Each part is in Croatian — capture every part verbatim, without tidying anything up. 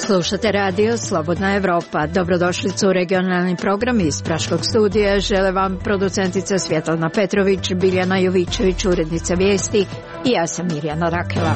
Slušate radio Slobodna Evropa. Dobrodošlicu u regionalni program iz Praškog studija. Žele vam producentica Svjetlana Petrović, Biljana Jovičević, urednica vijesti i ja sam Mirjana Rakela.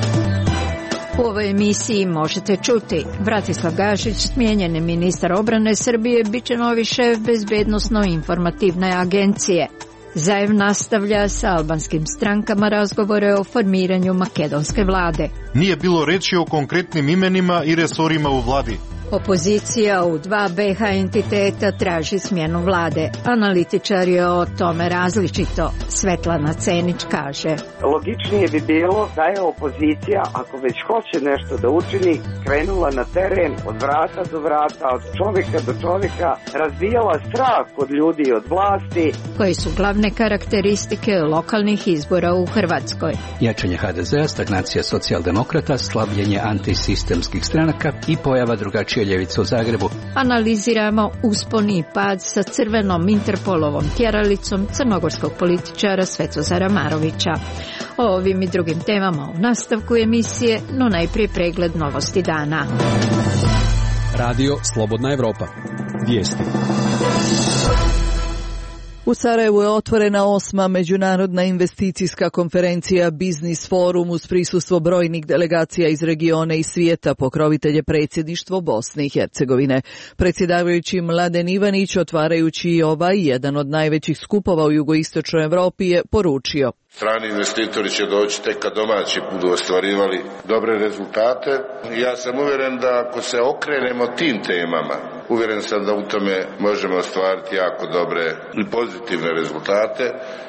U ovoj emisiji možete čuti: Bratislav Gašić, smijenjeni ministar obrane Srbije, bit će novi šef bezbednosno-informativne agencije. Zajev nastavlja sa albanskim strankama razgovore o formiranju makedonske vlade. Nije bilo reči o konkretnim imenima i resorima u vladi. Opozicija u dva be ha entiteta traži smjenu vlade. Analitičari o tome različito. Svetlana Cenić kaže: logičnije bi bilo da je opozicija, ako već hoće nešto da učini, krenula na teren od vrata do vrata, od čovjeka do čovjeka, razbijala strah od ljudi i od vlasti. Koji su glavne karakteristike lokalnih izbora u Hrvatskoj? Jačanje ha de zea, stagnacija socijaldemokrata, slabljenje antisistemskih stranaka i pojava drugačije ljevice u Zagrebu. Analiziramo uspon i pad sa crvenom Interpolovom tjeralicom crnogorskog političara Svetozara Marovića. O ovim i drugim temama u nastavku emisije, no najprije pregled novosti dana. Radio Slobodna Evropa. Vijesti. U Sarajevu je otvorena osma međunarodna investicijska konferencija Biznis forum uz prisustvo brojnih delegacija iz regiona i svijeta, pokrovitelje predsjedništvo Bosne i Hercegovine. Predsjedavajući Mladen Ivanić, otvarajući ovaj jedan od najvećih skupova u jugoistočnoj Europi, je poručio: strani investitori će doći tek kad domaći budu ostvarivali dobre rezultate. Ja sam uvjeren da ako se okrenemo tim temama, uvjeren sam da u tome možemo ostvariti jako dobre i pozitivne rezultate,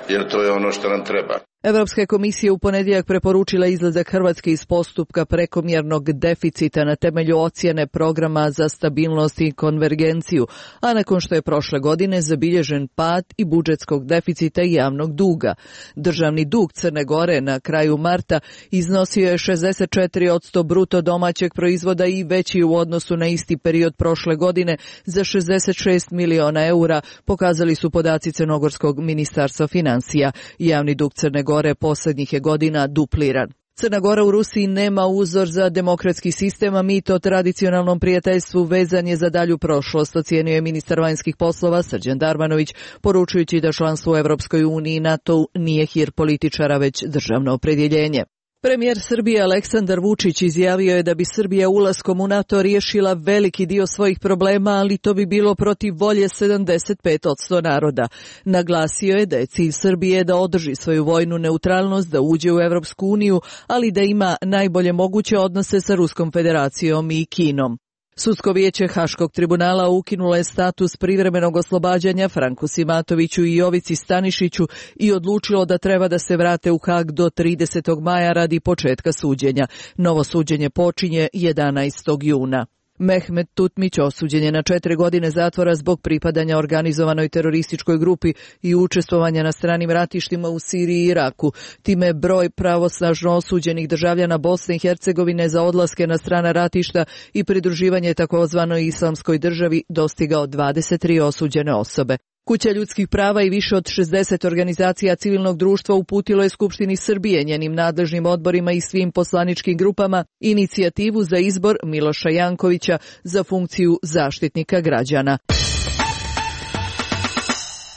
jer to je ono što nam treba. Evropska komisija u ponedjeljak preporučila izlazak Hrvatske iz postupka prekomjernog deficita na temelju ocjene programa za stabilnost i konvergenciju, a nakon što je prošle godine zabilježen pad i budžetskog deficita i javnog duga. Državni dug Crne Gore na kraju marta iznosio je šezdeset četiri posto bruto domaćeg proizvoda i veći u odnosu na isti period prošle godine za šezdeset šest miliona eura, pokazali su podaci Crnogorskog ministarstva financija. Javni dug Crne Gore Gore posljednjih je godina dupliran. Crna Gora u Rusiji nema uzor za demokratski sistem, a mit o tradicionalnom prijateljstvu vezan je za dalju prošlost, ocijenio je ministar vanjskih poslova Srđan Darmanović, poručujući da članstvo u Europskoj uniji i NATO nije hir političara, već državno opredjeljenje. Premijer Srbije Aleksandar Vučić izjavio je da bi Srbija ulaskom u NATO riješila veliki dio svojih problema, ali to bi bilo protiv volje sedamdeset pet posto naroda. Naglasio je da je cilj Srbije da održi svoju vojnu neutralnost, da uđe u Europsku uniju, ali da ima najbolje moguće odnose sa Ruskom federacijom i Kinom. Sudsko vijeće Haškog tribunala ukinulo je status privremenog oslobađanja Franku Simatoviću i Jovici Stanišiću i odlučilo da treba da se vrate u Hag do tridesetog maja radi početka suđenja. Novo suđenje počinje jedanaestog juna. Mehmet Tutmić osuđen je na četiri godine zatvora zbog pripadanja organizovanoj terorističkoj grupi i učestvovanja na stranim ratištima u Siriji i Iraku. Time broj pravosnažno osuđenih državljana Bosne i Hercegovine za odlaske na strana ratišta i pridruživanje takozvanoj islamskoj državi dostigao dvadeset tri osuđene osobe. Kuća ljudskih prava i više od šezdeset organizacija civilnog društva uputilo je Skupštini Srbije, njenim nadležnim odborima i svim poslaničkim grupama inicijativu za izbor Miloša Jankovića za funkciju zaštitnika građana.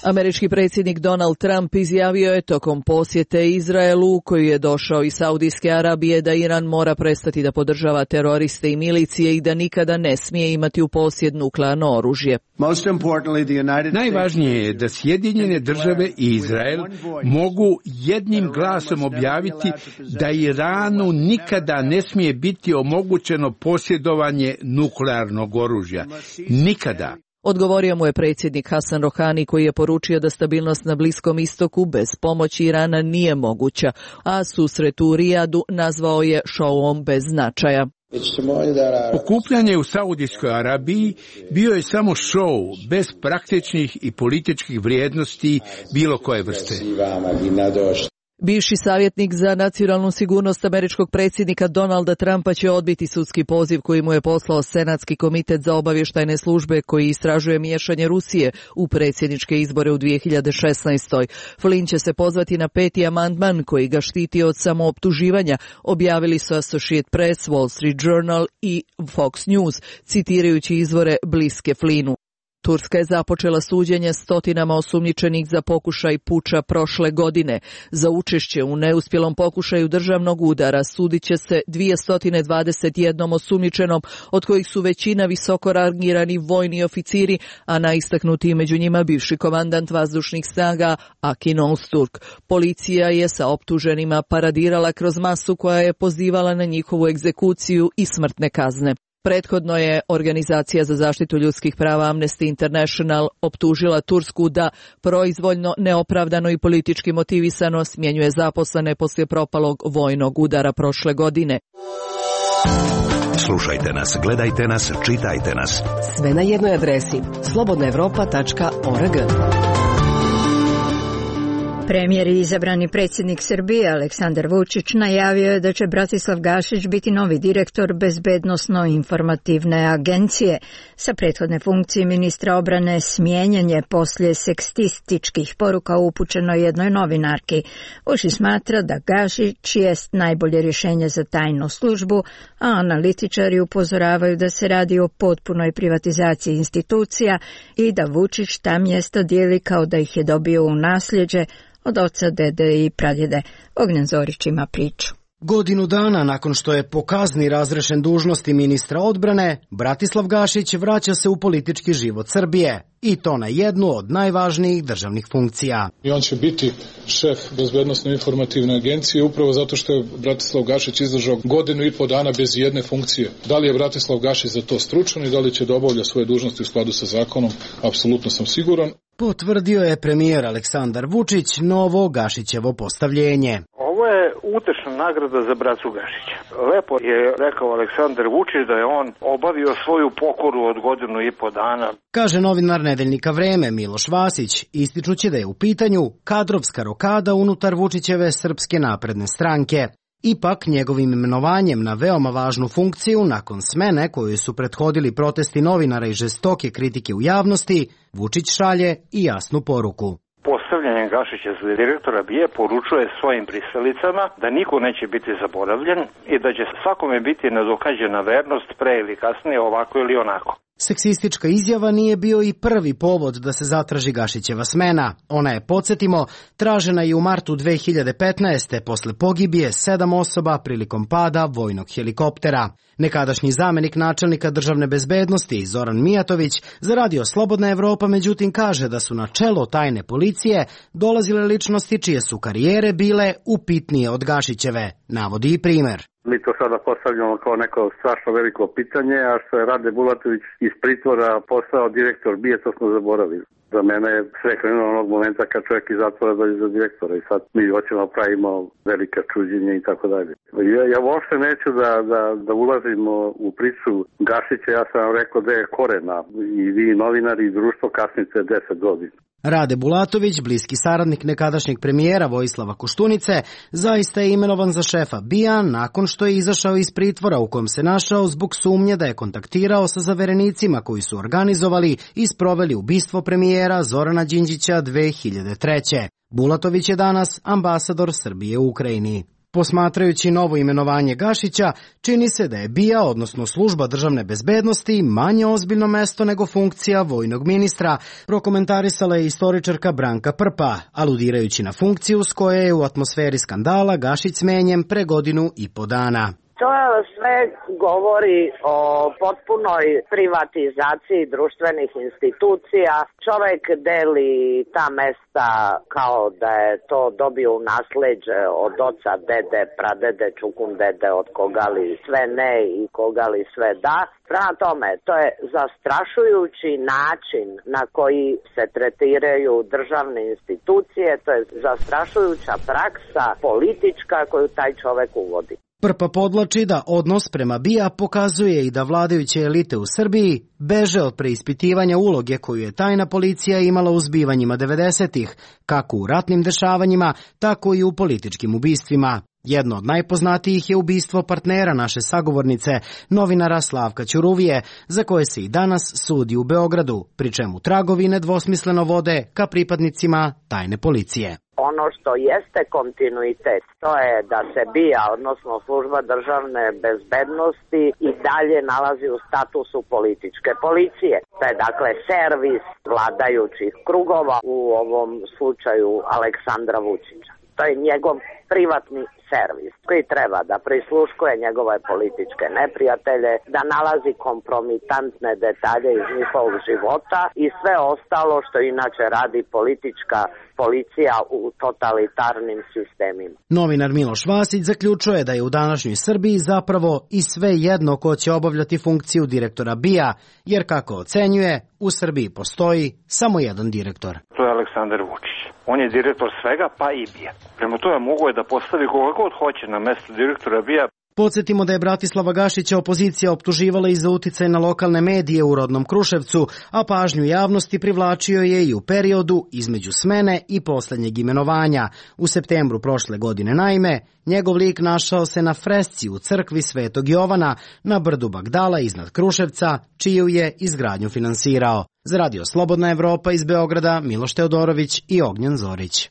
Američki predsjednik Donald Trump izjavio je tokom posjete Izraelu, koji je došao iz Saudijske Arabije, da Iran mora prestati da podržava teroriste i milicije i da nikada ne smije imati u posjed nuklearno oružje. Najvažnije je da Sjedinjene države i Izrael mogu jednim glasom objaviti da Iranu nikada ne smije biti omogućeno posjedovanje nuklearnog oružja. Nikada. Odgovorio mu je predsjednik Hasan Rohani, koji je poručio da stabilnost na Bliskom istoku bez pomoći Irana nije moguća, a susret u Rijadu nazvao je šouom bez značaja. Okupljanje u Saudijskoj Arabiji bio je samo šou, bez praktičnih i političkih vrijednosti bilo koje vrste. Bivši savjetnik za nacionalnu sigurnost američkog predsjednika Donalda Trumpa će odbiti sudski poziv koji mu je poslao Senatski komitet za obavještajne službe koji istražuje miješanje Rusije u predsjedničke izbore u dvije hiljade šesnaestoj. Flynn će se pozvati na peti amandman koji ga štiti od samooptuživanja, objavili su Associated Press, Wall Street Journal i Fox News, citirajući izvore bliske Flynnu. Turska je započela suđenje stotinama osumnjičenih za pokušaj puča prošle godine. Za učešće u neuspjelom pokušaju državnog udara sudit će se dvjesto dvadeset jedan osumnjičenom, od kojih su većina visoko rangirani vojni oficiri, a najistaknutiji među njima bivši komandant vazdušnih snaga Akin Ozturk. Policija je sa optuženima paradirala kroz masu koja je pozivala na njihovu egzekuciju i smrtne kazne. Prethodno je Organizacija za zaštitu ljudskih prava Amnesty International optužila Tursku da proizvoljno, neopravdano i politički motivisano smjenjuje zaposlene poslije propalog vojnog udara prošle godine. Slušajte nas, gledajte nas, čitajte nas. Sve na jednoj adresi slobodna evropa tačka org. Premijer i izabrani predsjednik Srbije Aleksandar Vučić najavio je da će Bratislav Gašić biti novi direktor Bezbednosno-informativne agencije. Sa prethodne funkcije ministra obrane smijenjen je poslije sekstističkih poruka upućeno jednoj novinarki. Vučić smatra da Gašić jest najbolje rješenje za tajnu službu, a analitičari upozoravaju da se radi o potpunoj privatizaciji institucija i da Vučić ta mjesta dijeli kao da ih je dobio u nasljeđe od oca, dede i pradjede. Ognjen Zorić ima priču. Godinu dana nakon što je po kazni razrešen dužnosti ministra odbrane, Bratislav Gašić vraća se u politički život Srbije, i to na jednu od najvažnijih državnih funkcija. I on će biti šef Bezbednosno-informativne agencije upravo zato što je Bratislav Gašić izdržao godinu i po dana bez jedne funkcije. Da li je Bratislav Gašić za to stručan i da li će da obavlja svoje dužnosti u skladu sa zakonom, apsolutno sam siguran. Potvrdio je premijer Aleksandar Vučić novo Gašićevo postavljenje. Ovo je utešna nagrada za bracu Gašića. Lepo je rekao Aleksandar Vučić da je on obavio svoju pokoru od godinu i po dana. Kaže novinar nedeljnika Vreme Miloš Vasić, ističući da je u pitanju kadrovska rokada unutar Vučićeve Srpske napredne stranke. Ipak, njegovim imenovanjem na veoma važnu funkciju, nakon smene koju su prethodili protesti novinara i žestoke kritike u javnosti, Vučić šalje i jasnu poruku. Postavljanjem Gašića za direktora B I A poručuje svojim pristalicama da niko neće biti zaboravljen i da će svakome biti nadokađena vernost pre ili kasnije, ovako ili onako. Seksistička izjava nije bio i prvi povod da se zatraži Gašićeva smena. Ona je, podsjetimo, tražena i u martu dve hiljade petnaeste. posle pogibije sedam osoba prilikom pada vojnog helikoptera. Nekadašnji zamenik načelnika državne bezbednosti Zoran Mijatović za radio Slobodna Evropa međutim kaže da su na čelo tajne policije dolazile ličnosti čije su karijere bile upitnije od Gašićeve. Navodi i primer. Mi to sada postavljamo kao neko strašno veliko pitanje, a što je Rade Bulatović iz pritvora postao direktor B I A, to smo zaboravili. Za mene je sve krenulo onog momenta kad čovjek iz zatvora dođe za direktora i sad mi hoćemo pravimo velika čuđenja i tako dalje. Ja, ja uopšte neću da, da, da ulazimo u priču Gašića, ja sam vam rekao da je korena i vi novinari i društvo kasnite deset godina. Rade Bulatović, bliski saradnik nekadašnjeg premijera Vojislava Koštunice, zaista je imenovan za šefa B I A nakon što je izašao iz pritvora u kojem se našao zbog sumnje da je kontaktirao sa zaverenicima koji su organizovali i sproveli ubistvo premijera Zorana Đinđića dve hiljade treće. Bulatović je danas ambasador Srbije u Ukrajini. Posmatrajući novo imenovanje Gašića, čini se da je B I A, odnosno služba državne bezbednosti, manje ozbiljno mesto nego funkcija vojnog ministra, prokomentarisala je istoričarka Branka Prpa, aludirajući na funkciju s koje je u atmosferi skandala Gašić smenjen pre godinu i po dana. To sve govori o potpunoj privatizaciji društvenih institucija. Čovjek deli ta mesta kao da je to dobio u nasleđe od oca, dede, pradede, čukun dede, od koga li sve ne i koga li sve da. Prema tome, to je zastrašujući način na koji se tretiraju državne institucije, to je zastrašujuća praksa politička koju taj čovjek uvodi. Prpa podlači da odnos prema B I A pokazuje i da vladajuće elite u Srbiji beže od preispitivanja uloge koju je tajna policija imala u zbivanjima devedesetih, kako u ratnim dešavanjima, tako i u političkim ubistvima. Jedno od najpoznatijih je ubistvo partnera naše sagovornice, novinara Slavka Ćuruvije, za koje se i danas sudi u Beogradu, pri čemu tragovi nedvosmisleno vode ka pripadnicima tajne policije. Ono što jeste kontinuitet, to je da se B I A, odnosno služba državne bezbednosti, i dalje nalazi u statusu političke policije. To je dakle servis vladajućih krugova, u ovom slučaju Aleksandra Vučića. To je njegov privatni servis koji treba da prisluškuje njegove političke neprijatelje, da nalazi kompromitantne detalje iz njihovog života i sve ostalo što inače radi politička policija u totalitarnim sistemima. Novinar Miloš Vasić zaključuje da je u današnjoj Srbiji zapravo i sve jedno ko će obavljati funkciju direktora B I A, jer kako ocenjuje, u Srbiji postoji samo jedan direktor. To je Aleksandar Vučić. On je direktor svega, pa i B I A. Prema tome mogu je da postavi koga god hoće na mesto direktora B I A. Podsjetimo da je Bratislava Gašića opozicija optuživala i za uticaj na lokalne medije u rodnom Kruševcu, a pažnju javnosti privlačio je i u periodu između smene i poslednjeg imenovanja. U septembru prošle godine naime, njegov lik našao se na fresci u crkvi Svetog Jovana na brdu Bagdala iznad Kruševca, čiju je izgradnju finansirao. Za Radio Slobodna Evropa iz Beograda, Miloš Teodorović i Ognjen Zorić.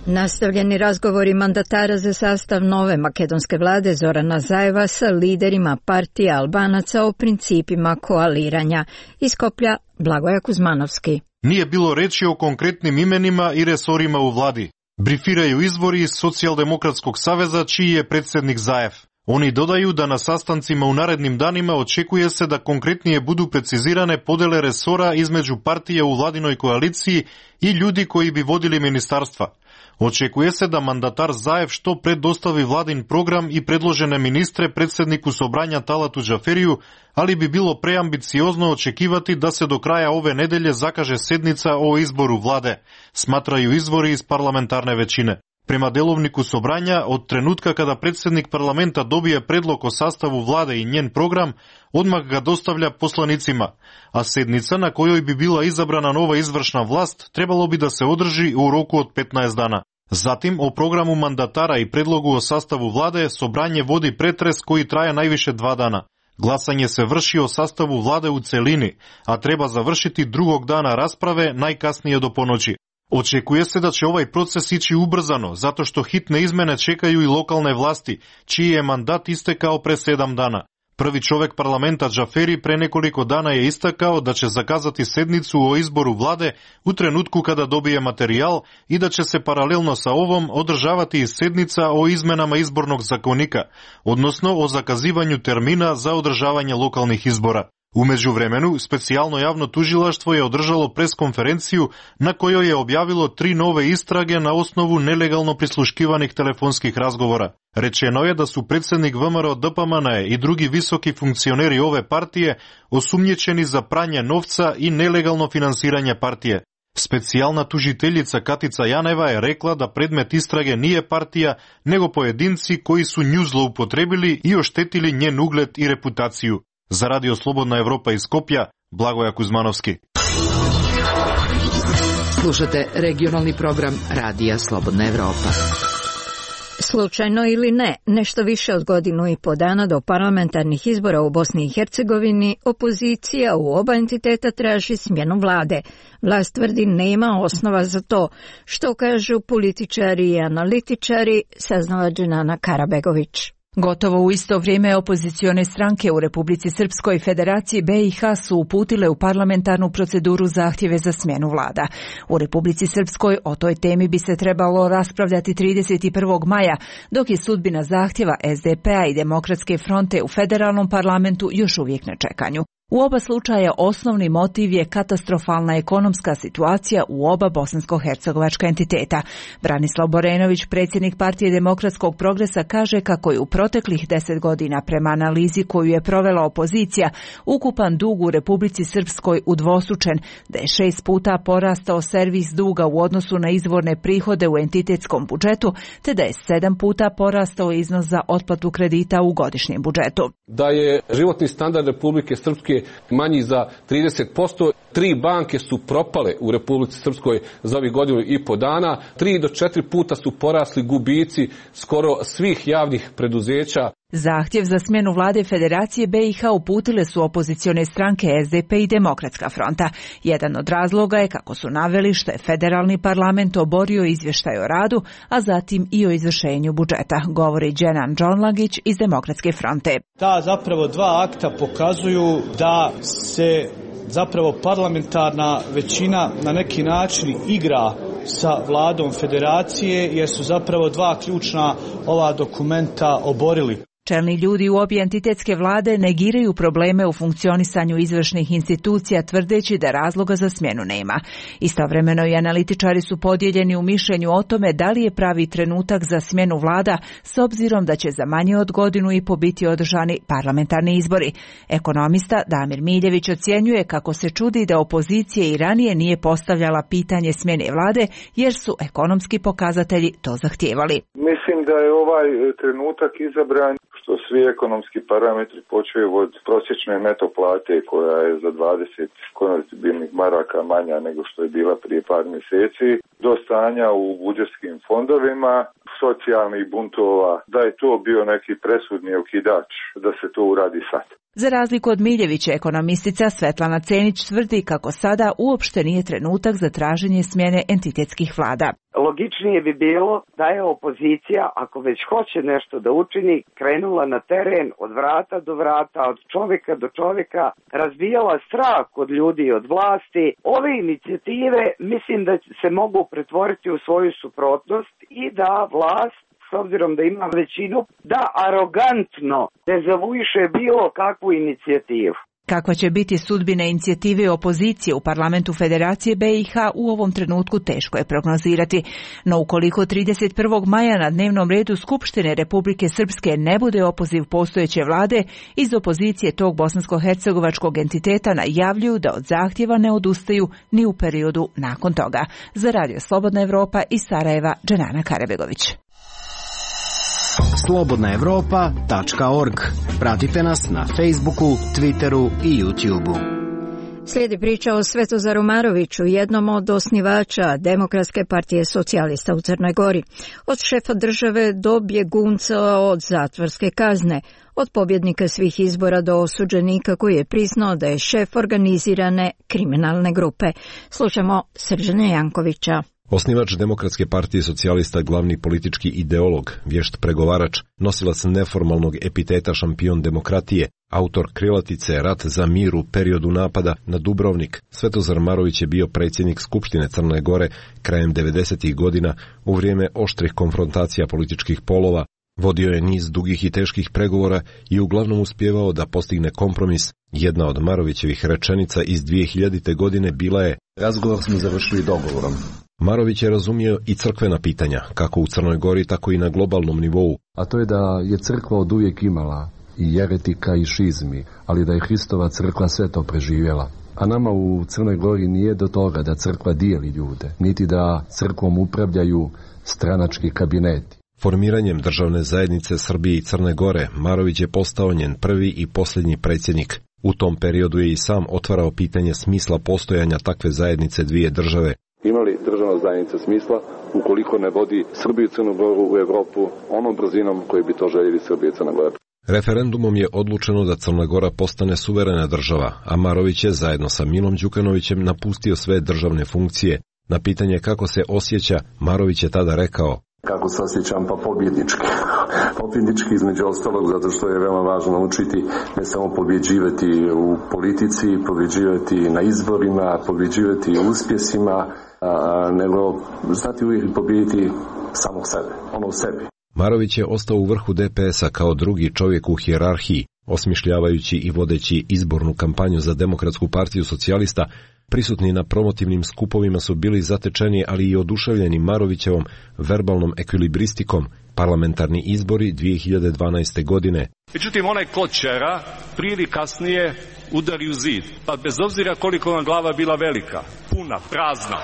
Nastavljeni razgovori mandatara za sastav nove makedonske vlade Zorana Zajeva sa liderima partije Albanaca o principima koaliranja. Iz Skoplja, Blagoja Kuzmanovski. Nije bilo reči o konkretnim imenima i resorima u vladi. Brifiraju izvori iz Socijaldemokratskog saveza, čiji je predsjednik Zajev. Oni dodaju da na sastancima u narednim danima očekuje se da konkretnije budu precizirane podele resora između partije u vladinoj koaliciji i ljudi koji bi vodili ministarstva. Očekuje se da mandatar Zajev što pre dostavi vladin program i predložene ministre predsjedniku Sobranja Talatu Džaferiju, ali bi bilo preambiciozno očekivati da se do kraja ove nedelje zakaže sednica o izboru vlade, smatraju izvori iz parlamentarne većine. Prema delovniku Sobranja, od trenutka kada predsjednik parlamenta dobije predlog o sastavu vlade i njen program, odmah ga dostavlja poslanicima, a sednica na kojoj bi bila izabrana nova izvršna vlast trebalo bi da se održi u roku od petnaest dana. Zatim, o programu mandatara i predlogu o sastavu vlade Sobranje vodi pretres koji traje najviše dva dana. Glasanje se vrši o sastavu vlade u celini, a treba završiti drugog dana rasprave, najkasnije do ponoći. Očekuje se da će ovaj proces ići ubrzano, zato što hitne izmene čekaju i lokalne vlasti, čiji je mandat istekao pre sedam dana. Prvi čovek parlamenta Džaferi pre nekoliko dana je istakao da će zakazati sednicu o izboru vlade u trenutku kada dobije materijal i da će se paralelno sa ovom održavati i sednica o izmenama izbornog zakonika, odnosno o zakazivanju termina za održavanje lokalnih izbora. U međuvremenu, specijalno javno tužilaštvo je održalo preskonferenciju na kojoj je objavilo tri nove istrage na osnovu nelegalno prisluškivanih telefonskih razgovora. Rečeno je da su predsjednik V M R O D P M N E i drugi visoki funkcioneri ove partije osumnjičeni za pranje novca i nelegalno finansiranje partije. Specijalna tužiteljica Katica Janeva je rekla da predmet istrage nije partija, nego pojedinci koji su nju zloupotrebili i oštetili njen ugled i reputaciju. Za Radio Slobodna Evropa iz Skopja, Blagoja Kuzmanovski. Slušate regionalni program Radija Slobodna Evropa. Slučajno ili ne, nešto više od godinu i po dana do parlamentarnih izbora u Bosni i Hercegovini, opozicija u oba entiteta traži smjenu vlade. Vlast tvrdi nema osnova za to, što kažu političari i analitičari, saznala Dženana Karabegović. Gotovo u isto vrijeme opozicione stranke u Republici Srpskoj i Federaciji B i H su uputile u parlamentarnu proceduru zahtjeve za smjenu vlada. U Republici Srpskoj o toj temi bi se trebalo raspravljati trideset prvog maja, dok je sudbina zahtjeva S D P-a i Demokratske fronte u federalnom parlamentu još uvijek na čekanju. U oba slučaja osnovni motiv je katastrofalna ekonomska situacija u oba bosansko-hercegovačka entiteta. Branislav Borenović, predsjednik Partije demokratskog progresa, kaže kako je u proteklih deset godina prema analizi koju je provela opozicija ukupan dug u Republici Srpskoj udvostručen, da je šest puta porastao servis duga u odnosu na izvorne prihode u entitetskom budžetu, te da je sedam puta porastao iznos za otplatu kredita u godišnjem budžetu. Da je životni standard Republike Srpske manji za trideset posto. Tri banke su propale u Republici Srpskoj za ovih godinu i po dana. Tri do četiri puta su porasli gubici skoro svih javnih preduzeća. Zahtjev za smjenu vlade Federacije B i H uputile su opozicione stranke S D P i Demokratska fronta. Jedan od razloga je, kako su naveli, što je federalni parlament oborio izvještaj o radu, a zatim i o izvršenju budžeta, govori Dženan Džonlagić iz Demokratske fronte. Ta zapravo dva akta pokazuju da se zapravo parlamentarna većina na neki način igra sa vladom Federacije, jer su zapravo dva ključna ova dokumenta oborili. Čelni ljudi u obje entitetske vlade negiraju probleme u funkcionisanju izvršnih institucija, tvrdeći da razloga za smjenu nema. Istovremeno i analitičari su podijeljeni u mišljenju o tome da li je pravi trenutak za smjenu vlada, s obzirom da će za manje od godinu i po biti održani parlamentarni izbori. Ekonomista Damir Miljević ocjenjuje kako se čudi da opozicija i ranije nije postavljala pitanje smjene vlade, jer su ekonomski pokazatelji to zahtijevali. Mislim da je ovaj trenutak izabran što svi ekonomski parametri počeju od prosječne neto plate koja je za dvadeset konvertibilnih maraka manja nego što je bila prije par mjeseci, do stanja u budžetskim fondovima, socijalnih buntova, da je to bio neki presudni okidač da se to uradi sad. Za razliku od Miljevića, ekonomistica Svetlana Cenić tvrdi kako sada uopšte nije trenutak za traženje smjene entitetskih vlada. Logičnije bi bilo da je opozicija, ako već hoće nešto da učini, krenula na teren od vrata do vrata, od čovjeka do čovjeka, razbijala strah od ljudi i od vlasti. Ove inicijative mislim da se mogu pretvoriti u svoju suprotnost i da vlast, s obzirom da ima većinu, da arogantno dezavuiše bilo kakvu inicijativu. Kakva će biti sudbina inicijative opozicije u parlamentu Federacije B i H u ovom trenutku teško je prognozirati. No ukoliko trideset prvog maja na dnevnom redu Skupštine Republike Srpske ne bude opoziv postojeće vlade, iz opozicije tog bosansko-hercegovačkog entiteta najavljuju da od zahtjeva ne odustaju ni u periodu nakon toga. Za Radio Slobodna Evropa iz Sarajeva, Dženana Karabegović. slobodna evropa tačka org. Pratite nas na Facebooku, Twitteru i YouTubeu. Slijedi priča o Svetozaru Maroviću, jednom od osnivača Demokratske partije socijalista u Crnoj Gori. Od šefa države do bjegunca od zatvorske kazne, od pobjednika svih izbora do osuđenika koji je priznao da je šef organizirane kriminalne grupe. Slušamo Srđana Jankovića. Osnivač Demokratske partije socijalista, glavni politički ideolog, vješt pregovarač, nosilac neformalnog epiteta šampion demokratije, autor krilatice Rat za mir u periodu napada na Dubrovnik, Svetozar Marović je bio predsjednik Skupštine Crne Gore krajem devedesetih godina u vrijeme oštrih konfrontacija političkih polova. Vodio je niz dugih i teških pregovora i uglavnom uspjevao da postigne kompromis. Jedna od Marovićevih rečenica iz dvije hiljadite. godine bila je: razgovor smo završili dogovorom. Marović je razumio i crkvena pitanja, kako u Crnoj Gori, tako i na globalnom nivou. A to je da je crkva od uvijek imala i jeretika i šizmi, ali da je Hristova crkva sve to preživjela. A nama u Crnoj Gori nije do toga da crkva dijeli ljude, niti da crkvom upravljaju stranački kabineti. Formiranjem državne zajednice Srbije i Crne Gore, Marović je postao njen prvi i posljednji predsjednik. U tom periodu je i sam otvarao pitanje smisla postojanja takve zajednice dvije države. Ima li državna zajednica smisla ukoliko ne vodi Srbiju i Crnu Goru u Europu onom brzinom koji bi to željeli Srbija i Crna Gora? Referendumom je odlučeno da Crna Gora postane suverena država, a Marović je zajedno sa Milom Đukanovićem napustio sve državne funkcije. Na pitanje kako se osjeća, Marović je tada rekao: kako se osjećam, pa pobjednički. Pobjednički između ostalog zato što je veoma važno naučiti ne samo pobjeđivati u politici, pobjeđivati na izborima, pobjeđivati u uspjesima, a, nego znati uvijek pobjediti samog sebe, ono u sebi. Marović je ostao u vrhu D P S-a kao drugi čovjek u hijerarhiji. Osmišljavajući i vodeći izbornu kampanju za Demokratsku partiju socijalista, prisutni na promotivnim skupovima su bili zatečeni, ali i oduševljeni Marovićevom verbalnom ekvilibristikom. Parlamentarni izbori dvije hiljade dvanaeste. godine. Međutim, onaj kločera prije ili kasnije udari u zid. Pa bez obzira koliko vam glava bila velika, puna, prazna,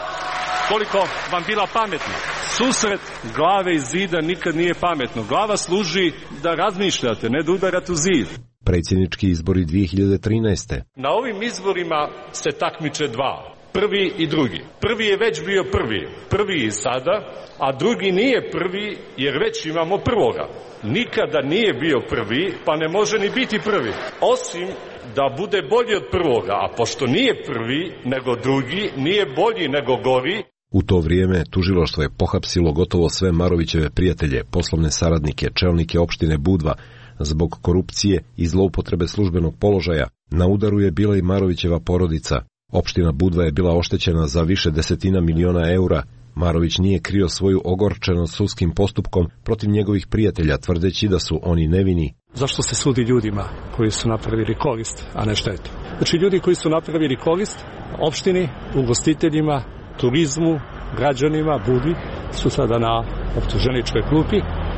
koliko vam bila pametna, susret glave i zida nikad nije pametno. Glava služi da razmišljate, ne da udarate u zid. Predsjednički izbori dvije hiljade trinaeste. Na ovim izborima se takmiče dva. Prvi i drugi. Prvi je već bio prvi. Prvi i sada, a drugi nije prvi jer već imamo prvoga. Nikada nije bio prvi, pa ne može ni biti prvi. Osim da bude bolji od prvoga, a pošto nije prvi nego drugi, nije bolji nego gori. U to vrijeme tužilaštvo je pohapsilo gotovo sve Marovićeve prijatelje, poslovne saradnike, čelnike opštine Budva, zbog korupcije i zloupotrebe službenog položaja. Na udaru je bila i Marovićeva porodica. Opština Budva je bila oštećena za više desetina miliona eura. Marović nije krio svoju ogorčenost sudskim postupkom protiv njegovih prijatelja, tvrdeći da su oni nevini. Zašto se sudi ljudima koji su napravili korist, a ne štetu? Znači ljudi koji su napravili korist opštini, ugostiteljima, turizmu, građanima, Budvi, su sada na optuženičkoj klupi,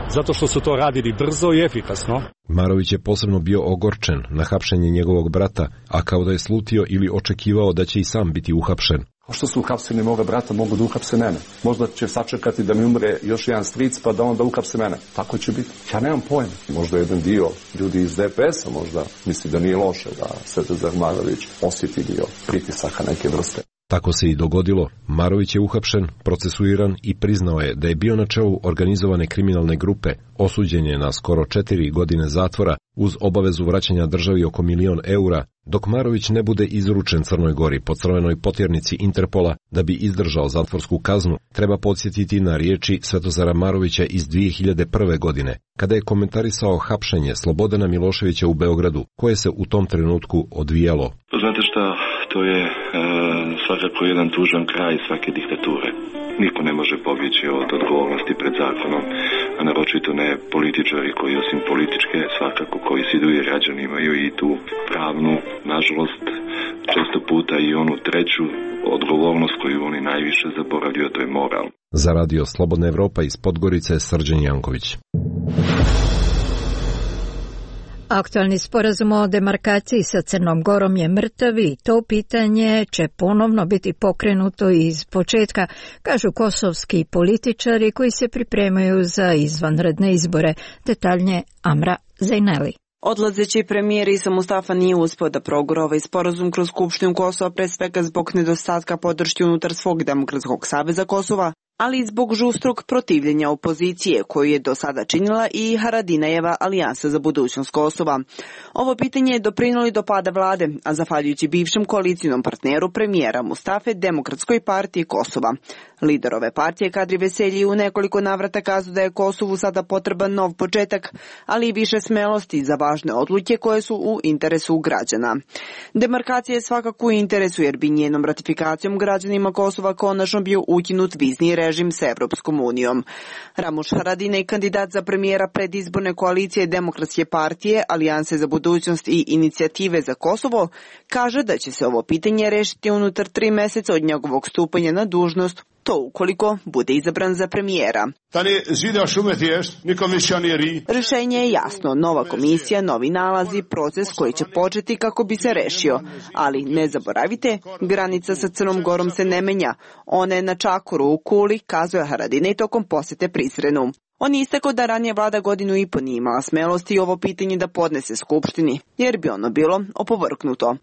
zato što su to radili brzo i efikasno. Marović je posebno bio ogorčen na hapšenje njegovog brata, a kao da je slutio ili očekivao da će i sam biti uhapšen. Kao što su uhapsili moga brata, mogu da uhapse mene. Možda će sačekati da mi umre još jedan stric, pa da onda uhapse mene. Tako će biti. Ja nemam pojma. Možda jedan dio ljudi iz D P S-a možda misli da nije loše da Svetozar Marović osjeti dio pritisaka neke vrste. Tako se i dogodilo. Marović je uhapšen, procesuiran i priznao je da je bio na čelu organizovane kriminalne grupe. Osuđen je na skoro četiri godine zatvora uz obavezu vraćanja državi oko milion eura, dok Marović ne bude izručen Crnoj Gori po crvenoj potjernici Interpola da bi izdržao zatvorsku kaznu. Treba podsjetiti na riječi Svetozara Marovića iz dvije hiljade prve. godine, kada je komentarisao hapšenje Slobodana Miloševića u Beogradu, koje se u tom trenutku odvijalo. Znate šta, to je e, svakako jedan tužan kraj svake diktature. Niko ne može pobjeći od odgovornosti pred zakonom, a naročito ne političari koji osim političke, svakako koji se idu i građani imaju i tu pravnu, nažalost, često puta i onu treću odgovornost koju oni najviše zaboravljaju, to je moral. Za radio Slobodna Evropa iz Podgorice, Srđan Janković. Aktualni sporazum o demarkaciji sa Crnom Gorom je mrtav i to pitanje će ponovno biti pokrenuto iz početka, kažu kosovski političari koji se pripremaju za izvanredne izbore. Detaljnije Amra Zajneli. Odlazeći premijer Isa Mustafa nije uspio da progura ovaj sporazum kroz Skupštinu Kosova, pre svega zbog nedostatka podrške unutar svog Demokratskog saveza Kosova, ali i zbog žustrog protivljenja opozicije koju je do sada činila i Haradinajeva alijansa za budućnost Kosova. Ovo pitanje je doprinijelo do pada vlade, a zahvaljujući bivšem koalicijnom partneru premijera Mustafe Demokratskoj partiji Kosova. Lider ove partije Kadri Veselji u nekoliko navrata kazao da je Kosovu sada potreban nov početak, ali i više smelosti za važne odluke koje su u interesu građana. Demarkacija je svakako u interesu jer bi njenom ratifikacijom građanima Kosova konačno bio ukinut vizni režim s Evropskom unijom. Ramuš Haradinaj, kandidat za premijera predizborne koalicije Demokratske partije, Alijanse za budućnost i Inicijative za Kosovo, kaže da će se ovo pitanje rešiti unutar tri meseca od njegovog stupanja na dužnost, to ukoliko bude izabran za premijera. Rešenje je jasno, nova komisija, novi nalazi, proces koji će početi kako bi se rešio. Ali ne zaboravite, granica sa Crnom Gorom se ne menja. Ona je na čakoru u Kuli, kazuje Haradinaj tokom posete Prizrenu. On je istakao da ranije vlada godinu i po nije imala smelosti ovo pitanje da podnese Skupštini, jer bi ono bilo opovrknuto.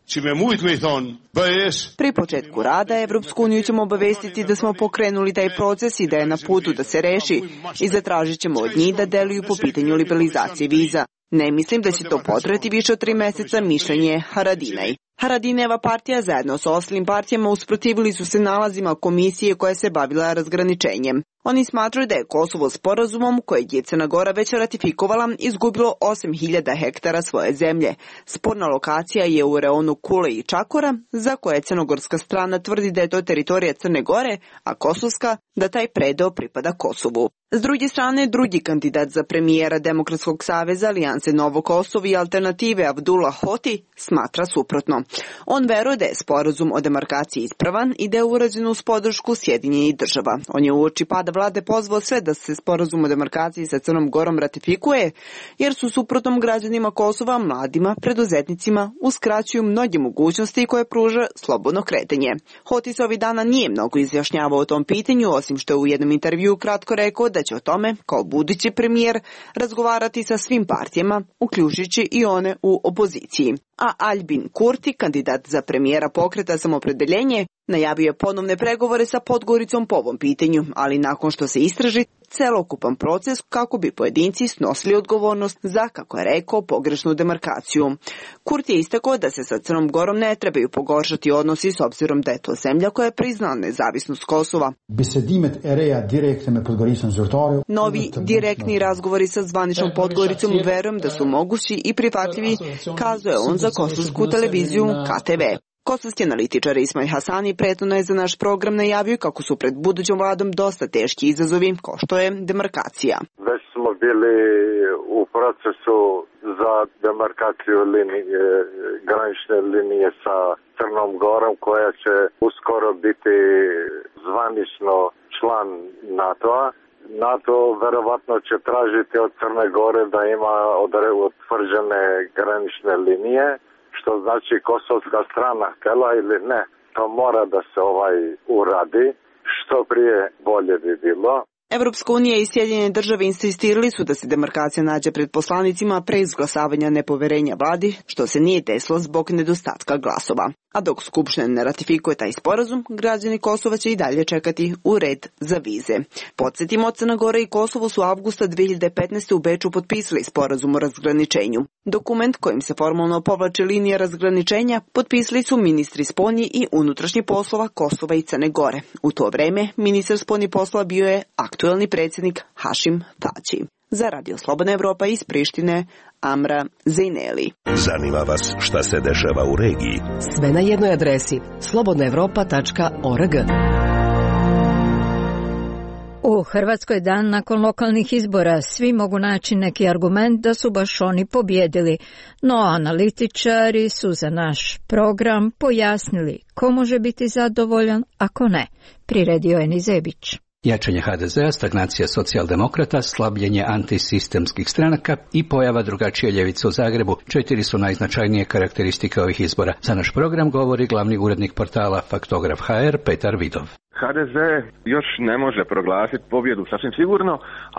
Pri početku rada Evropsku uniju ćemo obavestiti da smo pokrenuli taj proces i da je na putu da se reši i zatražit ćemo od njih da deluju po pitanju liberalizacije viza. Ne mislim da će to potrajati više od tri meseca, mišljenje Haradinaj. Haradineva partija zajedno sa ostalim partijama usprotivili su se nalazima komisije koja se bavila razgraničenjem. Oni smatraju da je Kosovo sporazumom koje je Crna Gora već ratifikovala izgubilo osam hiljada hektara svoje zemlje. Sporna lokacija je u reonu Kule i Čakora, za koje crnogorska strana tvrdi da je to teritorija Crne Gore, a kosovska da taj predeo pripada Kosovu. S druge strane, drugi kandidat za premijera Demokratskog saveza, Alijanse Novo Kosovo i Alternative Abdullah Hoti smatra suprotno. On veruje da je sporazum o demarkaciji ispravan i da je urađen uz podršku Sjedinjenih država. On je uoči pada vlade pozvao sve da se sporazum o demarkaciji sa Crnom Gorom ratifikuje, jer su suprotnom građanima Kosova, mladima, preduzetnicima uskraćuju mnoge mogućnosti koje pruža slobodno kretanje. Hoti se ovih dana nije mnogo izjašnjavao o tom pitanju, osim što je u jednom intervjuu kratko rekao da će o tome, kao budući premijer, razgovarati sa svim partijama, uključujući i one u opoziciji. A Albin Kurti, kandidat za premijera Pokreta Samoopredjeljenje, najavio je ponovne pregovore sa Podgoricom po ovom pitanju, ali nakon što se istraži celokupan proces kako bi pojedinci snosili odgovornost za, kako je rekao, pogrešnu demarkaciju. Kurti je istakao da se sa Crnom Gorom ne trebaju pogoršati odnosi s obzirom da je to zemlja koja je priznala nezavisnost Kosova. Novi direktni razgovori sa zvaničnom Podgoricom verujem da su mogući i prihvatljivi, kazuje on za kosovsku televiziju K T V. Kosovski analitičar Ismail Hasani prethodno je za naš program najavio kako su pred budućom vladom dosta teški izazovi, kao što je demarkacija. Već smo bili u procesu za demarkaciju linije, granične linije sa Crnom Gorom, koja će uskoro biti zvanično član NATO-a. NATO verovatno će tražiti od Crne Gore da ima utvrđene granične linije, što znači kosovska strana htjela ili ne. To mora da se ovaj uradi, što prije bolje bi bilo. Evropska unija i Sjedinjene države insistirali su da se demarkacija nađe pred poslanicima pre izglasavanja nepoverenja vladi, što se nije desilo zbog nedostatka glasova. A dok Skupština ne ratifikuje taj sporazum, građani Kosova će i dalje čekati u red za vize. Podsjetimo, Crna Gora i Kosovo su avgusta dve hiljade petnaeste. u Beču potpisali sporazum o razgraničenju. Dokument kojim se formalno povlače linija razgraničenja potpisali su ministri spoljnih i unutrašnjih poslova Kosova i Crne Gore. U to vreme ministar spoljnih poslova bio je aktuelni predsjednik Hašim Tači. Za Radio Slobodna Evropa iz Prištine, Amra Zejneli. Zanima vas šta se dešava u regiji? Sve na jednoj adresi slobodna evropa tačka org. U Hrvatskoj dan nakon lokalnih izbora svi mogu naći neki argument da su baš oni pobjedili, no analitičari su za naš program pojasnili ko može biti zadovoljan, ako ne. Priredio je Nizebić. Jačanje ha de zea, stagnacija socijaldemokrata, slabljenje antisistemskih stranaka i pojava drugačije ljevice u Zagrebu, četiri su najznačajnije karakteristike ovih izbora. Za naš program govori glavni urednik portala Faktograf ha er Petar Vidov. ha de ze još ne može proglasiti pobjedu sasvim sigurno,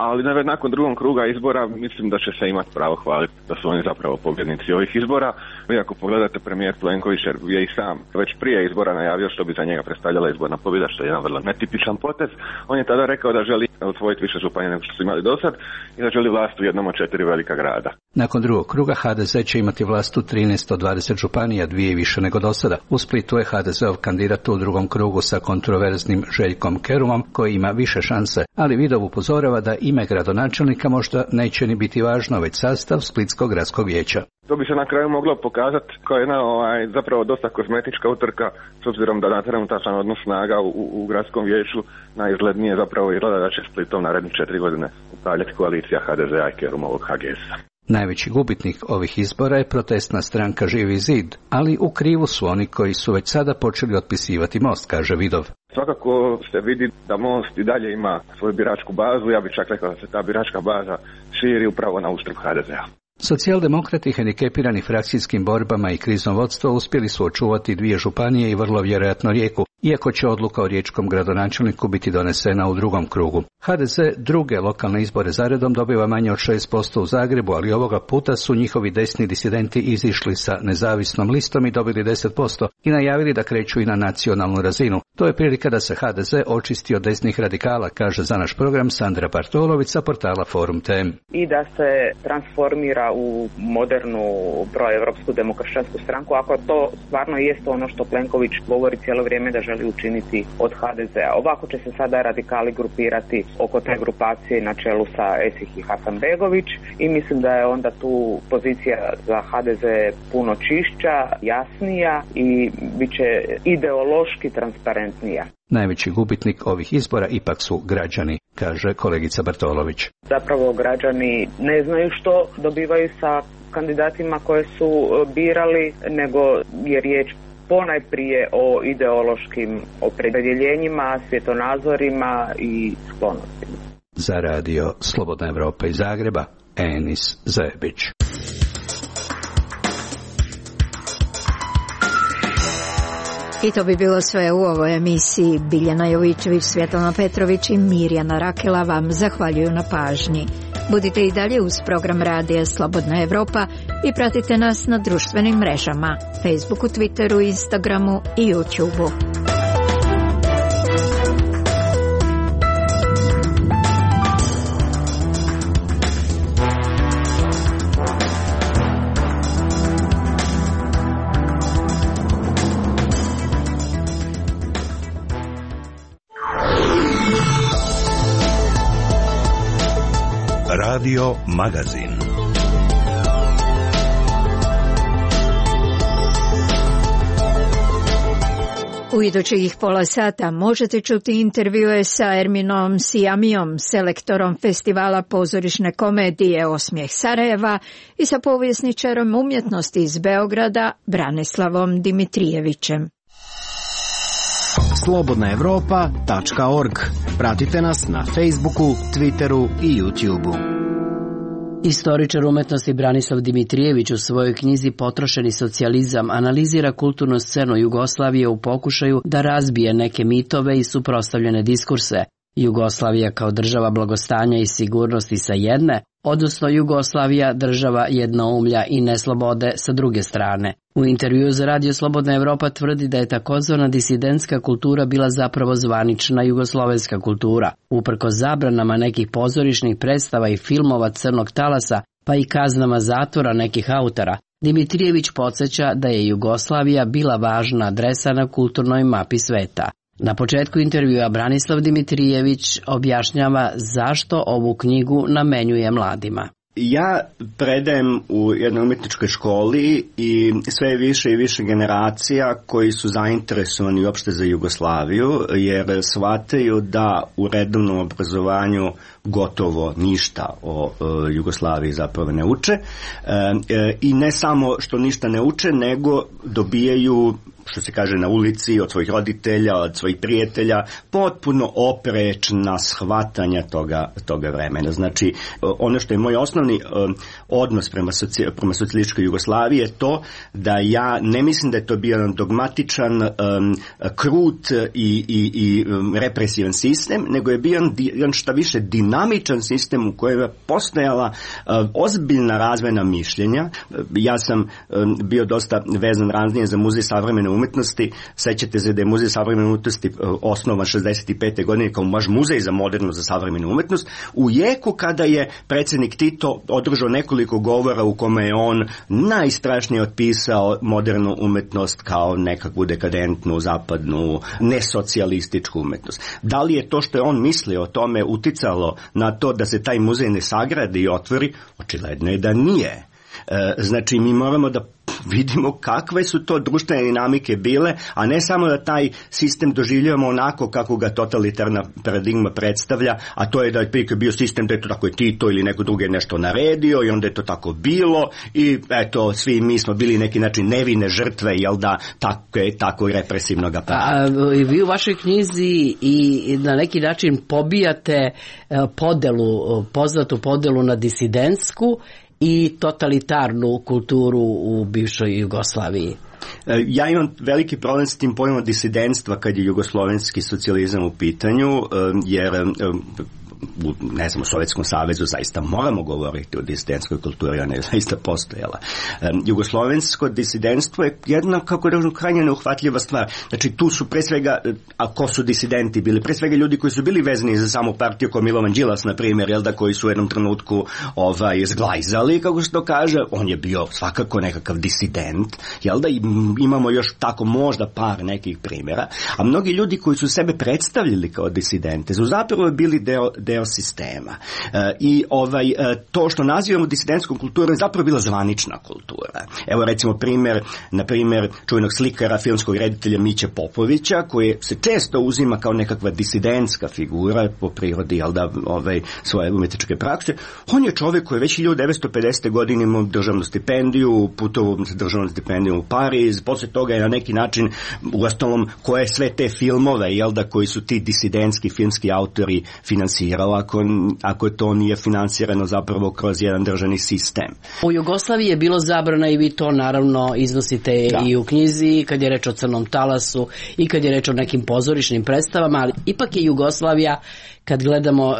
ali nakon drugog kruga izbora mislim da će se imati pravo hvaliti da su oni zapravo pobjednici ovih izbora. Vi ako pogledate, premijer Plenković je i sam već prije izbora najavio što bi za njega predstavljala izborna pobjeda, što je jedan vrlo netipičan potez. On je tada rekao da želi osvojiti više županija nego što su imali do sad i da želi vlast u jednom od četiri velika grada. Nakon drugog kruga ha de ze će imati vlast u trinaest od dvadeset županija, dvije više nego do sada. U Splitu je ha de zeov kandidat u drugom krugu sa kontroverznim Željkom Kerumom, koji ima više šanse, ali Vidov upozorava da ime gradonačelnika možda neće ni biti važno, već sastav Splitskog gradskog vijeća. To bi se na kraju moglo pokazati kao jedna ovaj, zapravo dosta kozmetička utrka, s obzirom da na trenutačan odnos snaga u, u gradskom vijeću najizglednije zapravo izgleda da će Splitom narednih četiri godine upravljati koalicija ha de zea i Kerumovog ha ge esa. Najveći gubitnik ovih izbora je protestna stranka Živi zid, ali u krivu su oni koji su već sada počeli otpisivati Most, kaže Vidov. Svakako se vidi da Most i dalje ima svoju biračku bazu, ja bih čak rekao da se ta biračka baza širi upravo na uštrb ha de zea. Socijaldemokrati hendikepirani frakcijskim borbama i kriznom vodstvo uspjeli su očuvati dvije županije i vrlo vjerojatno Rijeku, iako će odluka o riječkom gradonačelniku biti donesena u drugom krugu. ha de ze druge lokalne izbore zaredom dobiva manje od šest posto u Zagrebu, ali ovoga puta su njihovi desni disidenti izišli sa nezavisnom listom i dobili deset posto i najavili da kreću i na nacionalnu razinu. To je prilika da se ha de ze očisti od desnih radikala, kaže za naš program Sandra Partolović sa portala Forum Tem. I da se transformira izbora u modernu proevropsku demokršćansku stranku, ako to stvarno jeste ono što Plenković govori cijelo vrijeme da želi učiniti od ha de zea. Ovako će se sada radikali grupirati oko te grupacije na čelu sa Esih i Hasanbegović i mislim da je onda tu pozicija za ha de ze puno čišća, jasnija i bit će ideološki transparentnija. Najveći gubitnik ovih izbora ipak su građani, kaže kolegica Bartolović. Zapravo građani ne znaju što dobivaju sa kandidatima koje su birali, nego je riječ ponajprije o ideološkim opredjeljenjima, svjetonazorima i sklonostima. Za radio Slobodna Evropa iz Zagreba, Enis Zajebić. I to bi bilo sve u ovoj emisiji. Biljana Jovićević, Svjetlana Petrović i Mirjana Rakela vam zahvaljuju na pažnji. Budite i dalje uz program radija Slobodna Evropa i pratite nas na društvenim mrežama, Facebooku, Twitteru, Instagramu i YouTubeu. Radio Magazin. U idućih pola sata možete čuti intervjue sa Erminom Sijamijom, selektorom festivala pozorišne komedije Osmijeh Sarajeva i sa povjesničarom umjetnosti iz Beograda Branislavom Dimitrijevićem. slobodna evropa tačka org. Pratite nas na Facebooku, Twitteru i YouTubeu. Istoričar umetnosti Branislav Dimitrijević u svojoj knjizi Potrošeni socijalizam analizira kulturnu scenu Jugoslavije u pokušaju da razbije neke mitove i suprotstavljene diskurse. Jugoslavija kao država blagostanja i sigurnosti sa jedne, odnosno Jugoslavija država jednoumlja i neslobode sa druge strane. U intervjuu za Radio Slobodna Evropa tvrdi da je takozvana disidentska kultura bila zapravo zvanična jugoslovenska kultura. Uprkos zabranama nekih pozorišnih predstava i filmova crnog talasa, pa i kaznama zatvora nekih autora, Dimitrijević podsjeća da je Jugoslavija bila važna adresa na kulturnoj mapi sveta. Na početku intervjua Branislav Dimitrijević objašnjava zašto ovu knjigu namenjuje mladima. Ja predajem u jednoj umjetničkoj školi i sve više i više generacija koji su zainteresovani uopšte za Jugoslaviju, jer shvataju da u redovnom obrazovanju gotovo ništa o e, Jugoslaviji zapravo ne uče. E, e, I ne samo što ništa ne uče, nego dobijaju, što se kaže, na ulici od svojih roditelja, od svojih prijatelja, potpuno oprečna shvatanja toga, toga vremena. Znači, ono što je moj osnovni um, odnos prema, soci, prema socijalističkoj Jugoslaviji je to da ja ne mislim da je to bio dogmatičan, um, krut i, i, i um, represivan sistem, nego je bio jedan šta više dinamičan sistem u kojem je postojala uh, ozbiljna razvojna mišljenja. Ja sam um, bio dosta vezan ranije za Muzej savremene umetnosti. Sećate se da je Muzej savremene umetnosti osnovan šezdeset pete godine kao baš muzej za modernu, za savremenu umetnost, u jeku kada je predsjednik Tito održao nekoliko govora u kome je on najstrašnije otpisao modernu umetnost kao nekakvu dekadentnu, zapadnu, nesocijalističku umetnost. Da li je to što je on mislio o tome uticalo na to da se taj muzej ne sagradi i otvori? Očigledno je da nije. Znači, mi moramo da vidimo kakve su to društvene dinamike bile, a ne samo da taj sistem doživljavamo onako kako ga totalitarna paradigma predstavlja, a to je da je prije bio sistem da je to tako je Tito ili neko drugi nešto naredio i onda je to tako bilo i eto, svi mi smo bili neki način nevine žrtve, jel da, tako je, tako represivnog aparata. A vi u vašoj knjizi i na neki način pobijate podelu, poznatu podelu na disidentsku i totalitarnu kulturu u bivšoj Jugoslaviji. Ja imam veliki problem s tim pojmom disidentstva kad je jugoslovenski socijalizam u pitanju, jer u, ne znam, u Sovjetskom savezu zaista moramo govoriti o disidentskoj kulturi, ona je zaista postojala. Um, jugoslovensko disidentstvo je jedna, kako da krajnje neuhvatljiva stvar. Znači, tu su pre svega, a ko su disidenti bili? Pre svega ljudi koji su bili vezani za samu partiju, kao Milovan Đilas, na primjer, jel da, koji su u jednom trenutku ovaj, zglajzali, kako se to kaže. On je bio svakako nekakav disident, jel da, imamo još tako možda par nekih primjera, a mnogi ljudi koji su sebe predstavljali kao disidente su zapravo bili deo, deo sistema. E, I ovaj, to što nazivamo disidentskom kulturom je zapravo bila zvanična kultura. Evo recimo primjer, na primjer, čuvenog slikara, filmskog reditelja Miće Popovića, koji se često uzima kao nekakva disidentska figura po prirodi, jel da, ovaj, svoje umetničke prakse. On je čovjek koji je već hiljadu devetsto pedesete. godine imao državnu stipendiju, putovao sa državnom stipendijom u Pariz, poslije toga je na neki način, uostalom, koje sve te filmove, jel da, koji su ti disidentski filmski autori finansirali, ako, ako to nije finansirano zapravo kroz jedan državni sistem. U Jugoslaviji je bilo zabrana i vi to naravno iznosite da. I u knjizi, kad je reč o Crnom talasu i kad je reč o nekim pozorišnim predstavama, ali ipak je Jugoslavija, kad gledamo uh,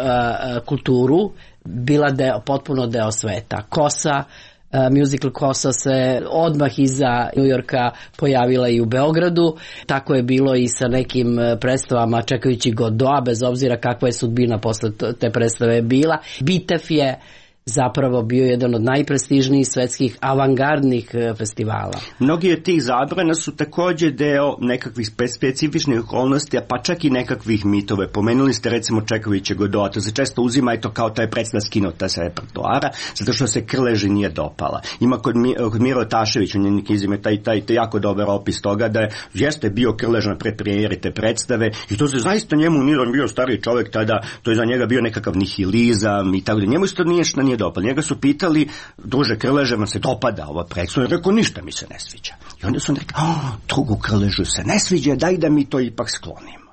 kulturu, bila deo, potpuno deo sveta. Kosa, uh, musical Kosa se odmah iza New Yorka pojavila i u Beogradu. Tako je bilo i sa nekim predstavama čekajući Godoa, bez obzira kakva je sudbina posle te predstave bila. Bitev je zapravo bio jedan od najprestižnijih svetskih avangardnih festivala. Mnogi od tih zabrana su također deo nekakvih specifičnih okolnosti, pa čak i nekakvih mitove. Pomenuli ste recimo Čekavića Godoa, to se često uzima i to kao taj predstav skinuta sa repertoara, zato što se Krleži nije dopala. Ima kod, kod Miro Tašević, u njenim knjizima, taj, taj, taj jako dobar opis toga da je, jeste bio Krlež na predpremijeri te predstave i to se zaista njemu, nije on bio stariji čovjek tada, to je za njega bio nekakav nihilizam i tako da. Njemu isto nije što nije dopala. Njega su pitali, druže Krleže, vam se dopada ova predstava? Rekao, ništa mi se ne sviđa. I onda su on rekao, oh, drugu Krležu se ne sviđa, daj da mi to ipak sklonimo.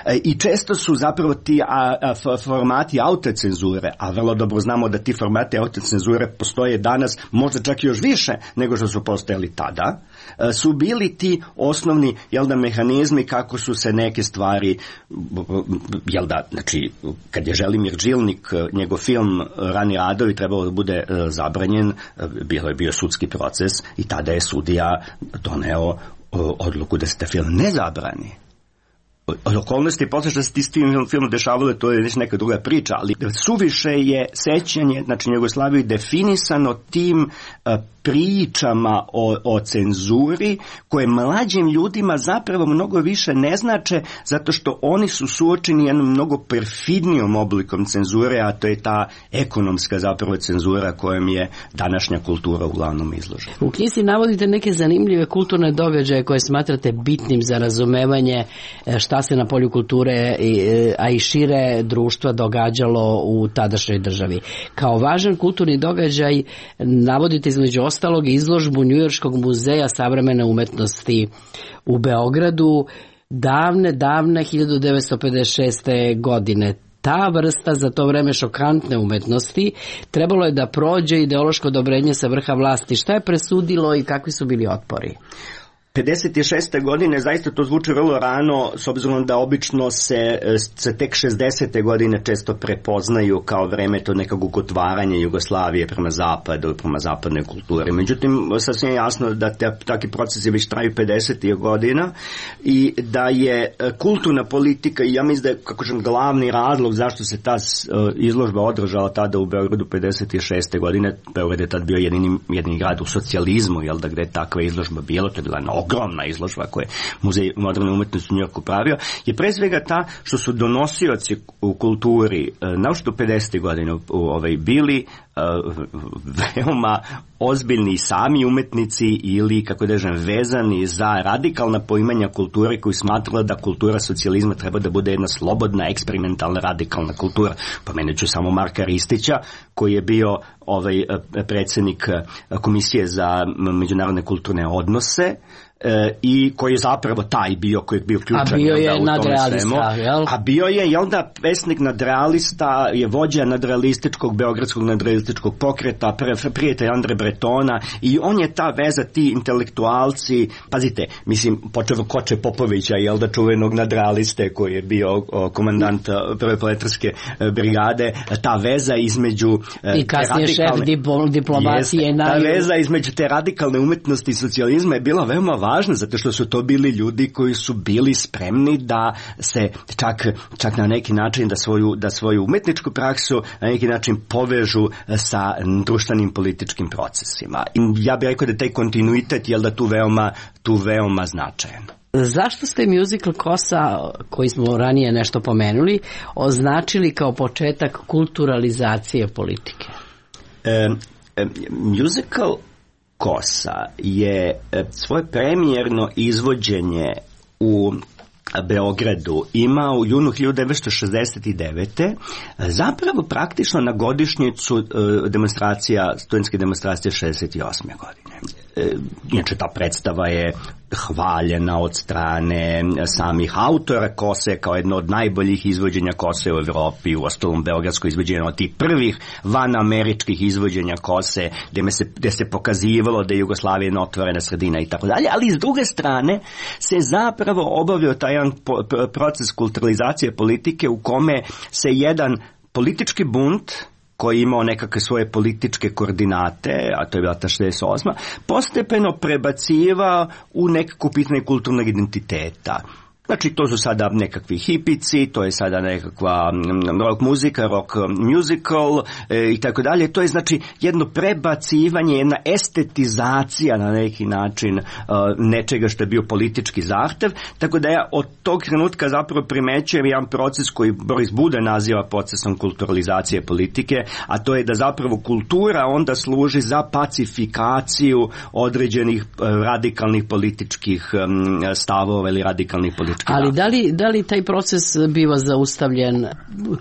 E, I često su zapravo ti a, a, formati autocenzure, a vrlo dobro znamo da ti formati autocenzure postoje danas možda čak još više nego što su postojali tada, a, su bili ti osnovni, jel da, mehanizmi kako su se neke stvari, jel da, znači, kad je Želimir Džilnik, njegov film Rani radovi trebalo da bude a, zabranjen, a, bilo je bio sudski proces i tada je sudija doneo a, odluku da se taj film ne zabrani. Od okolnosti, posle što se ti s tim filmom dešavalo, to je već neka druga priča, ali suviše je sećanje, znači Jugoslaviju, definisano tim uh, pričama o, o cenzuri, koje mlađim ljudima zapravo mnogo više ne znače, zato što oni su suočeni jednom mnogo perfidnijom oblikom cenzure, a to je ta ekonomska zapravo cenzura kojom je današnja kultura uglavnom izložena. U knjizi navodite neke zanimljive kulturne događaje koje smatrate bitnim za razumevanje šta se na polju kulture, a i šire društva događalo u tadašnjoj državi. Kao važan kulturni događaj navodite između ostalog izložbu Njujorškog muzeja savremene umetnosti u Beogradu davne, davne hiljadu devetsto pedeset šeste. godine. Ta vrsta za to vreme šokantne umetnosti trebalo je da prođe ideološko odobrenje sa vrha vlasti. Šta je presudilo i kakvi su bili otpori? pedeset šeste. godine, zaista to zvuči vrlo rano, s obzirom da obično se, se tek šezdesete. godine često prepoznaju kao vreme to nekog otvaranja Jugoslavije prema zapadu, prema zapadnoj kulturi. Međutim, sasvim je jasno da te, takvi procesi već traju pedesetih godina i da je kulturna politika, i ja mislim da je, kako ćem, glavni razlog zašto se ta izložba održala tada u Beogradu pedeset šeste. godine, Beograd je tad bio jedini, jedini grad u socijalizmu, jel da, gde je takva izložba bilo, to je bila na ogromna izložba koje je Muzej moderne umetnosti u Njujorku pravio, je pre svega ta što su donosioci u kulturi, naročito pedesetih godina, ovaj, bili uh, veoma ozbiljni sami umetnici ili, kako da kažem, vezani za radikalna poimanja kulture koji smatrala da kultura socijalizma treba da bude jedna slobodna, eksperimentalna, radikalna kultura. Pomenut ću samo Marka Ristića, koji je bio ovaj predsjednik Komisije za međunarodne kulturne odnose E, i koji je zapravo taj bio koji je bio ključan. A bio je nadrealista, jel? A bio je, jel da, pesnik nadrealista, je vođa nadrealističkog, beogradskog nadrealističkog pokreta, prijatelj Andre Bretona, i on je ta veza, ti intelektualci, pazite, mislim, počeo Koče Popovića, jel da, čuvenog nadrealiste koji je bio o, komandant prve poletarske brigade, ta veza između i kasnije šef diplomacije. Jest, ta veza između te radikalne umetnosti i socijalizma je bila veoma važna, zato što su to bili ljudi koji su bili spremni da se čak, čak na neki način da svoju, da svoju umetničku praksu na neki način povežu sa društvenim političkim procesima. I ja bih rekao da taj kontinuitet je da tu veoma, tu veoma značajan. Zašto ste musical Kosa, koji smo ranije nešto pomenuli, označili kao početak kulturalizacije politike? E, e, musical Kosa je svoje premijerno izvođenje u Beogradu imao u junu hiljadu devetsto šezdeset devete zapravo praktično na godišnjicu demonstracija, studentske demonstracije šezdeset osme godine. Inače, ta predstava je hvaljena od strane samih autora Kose kao jedno od najboljih izvođenja Kose u Evropi, u ostalom beogradsko izvođenje od tih prvih vanameričkih izvođenja Kose, gde se, gde se pokazivalo da je Jugoslavija jedna otvorena sredina i tako dalje, ali s druge strane se zapravo obavio taj jedan proces kulturalizacije politike u kome se jedan politički bunt koji je imao nekakve svoje političke koordinate, a to je bila ta šezdeset osma, postepeno prebacivao u nekako pitanje kulturnog identiteta. Znači, to su sada nekakvi hipici, to je sada nekakva rock muzika, rock musical e, i tako dalje. To je znači jedno prebacivanje, jedna estetizacija na neki način e, nečega što je bio politički zahtev. Tako da ja od tog trenutka zapravo primećujem jedan proces koji Boris Buda naziva procesom kulturalizacije politike, a to je da zapravo kultura onda služi za pacifikaciju određenih e, radikalnih političkih e, stavova ili radikalnih političkih. Ali da li, da li taj proces biva zaustavljen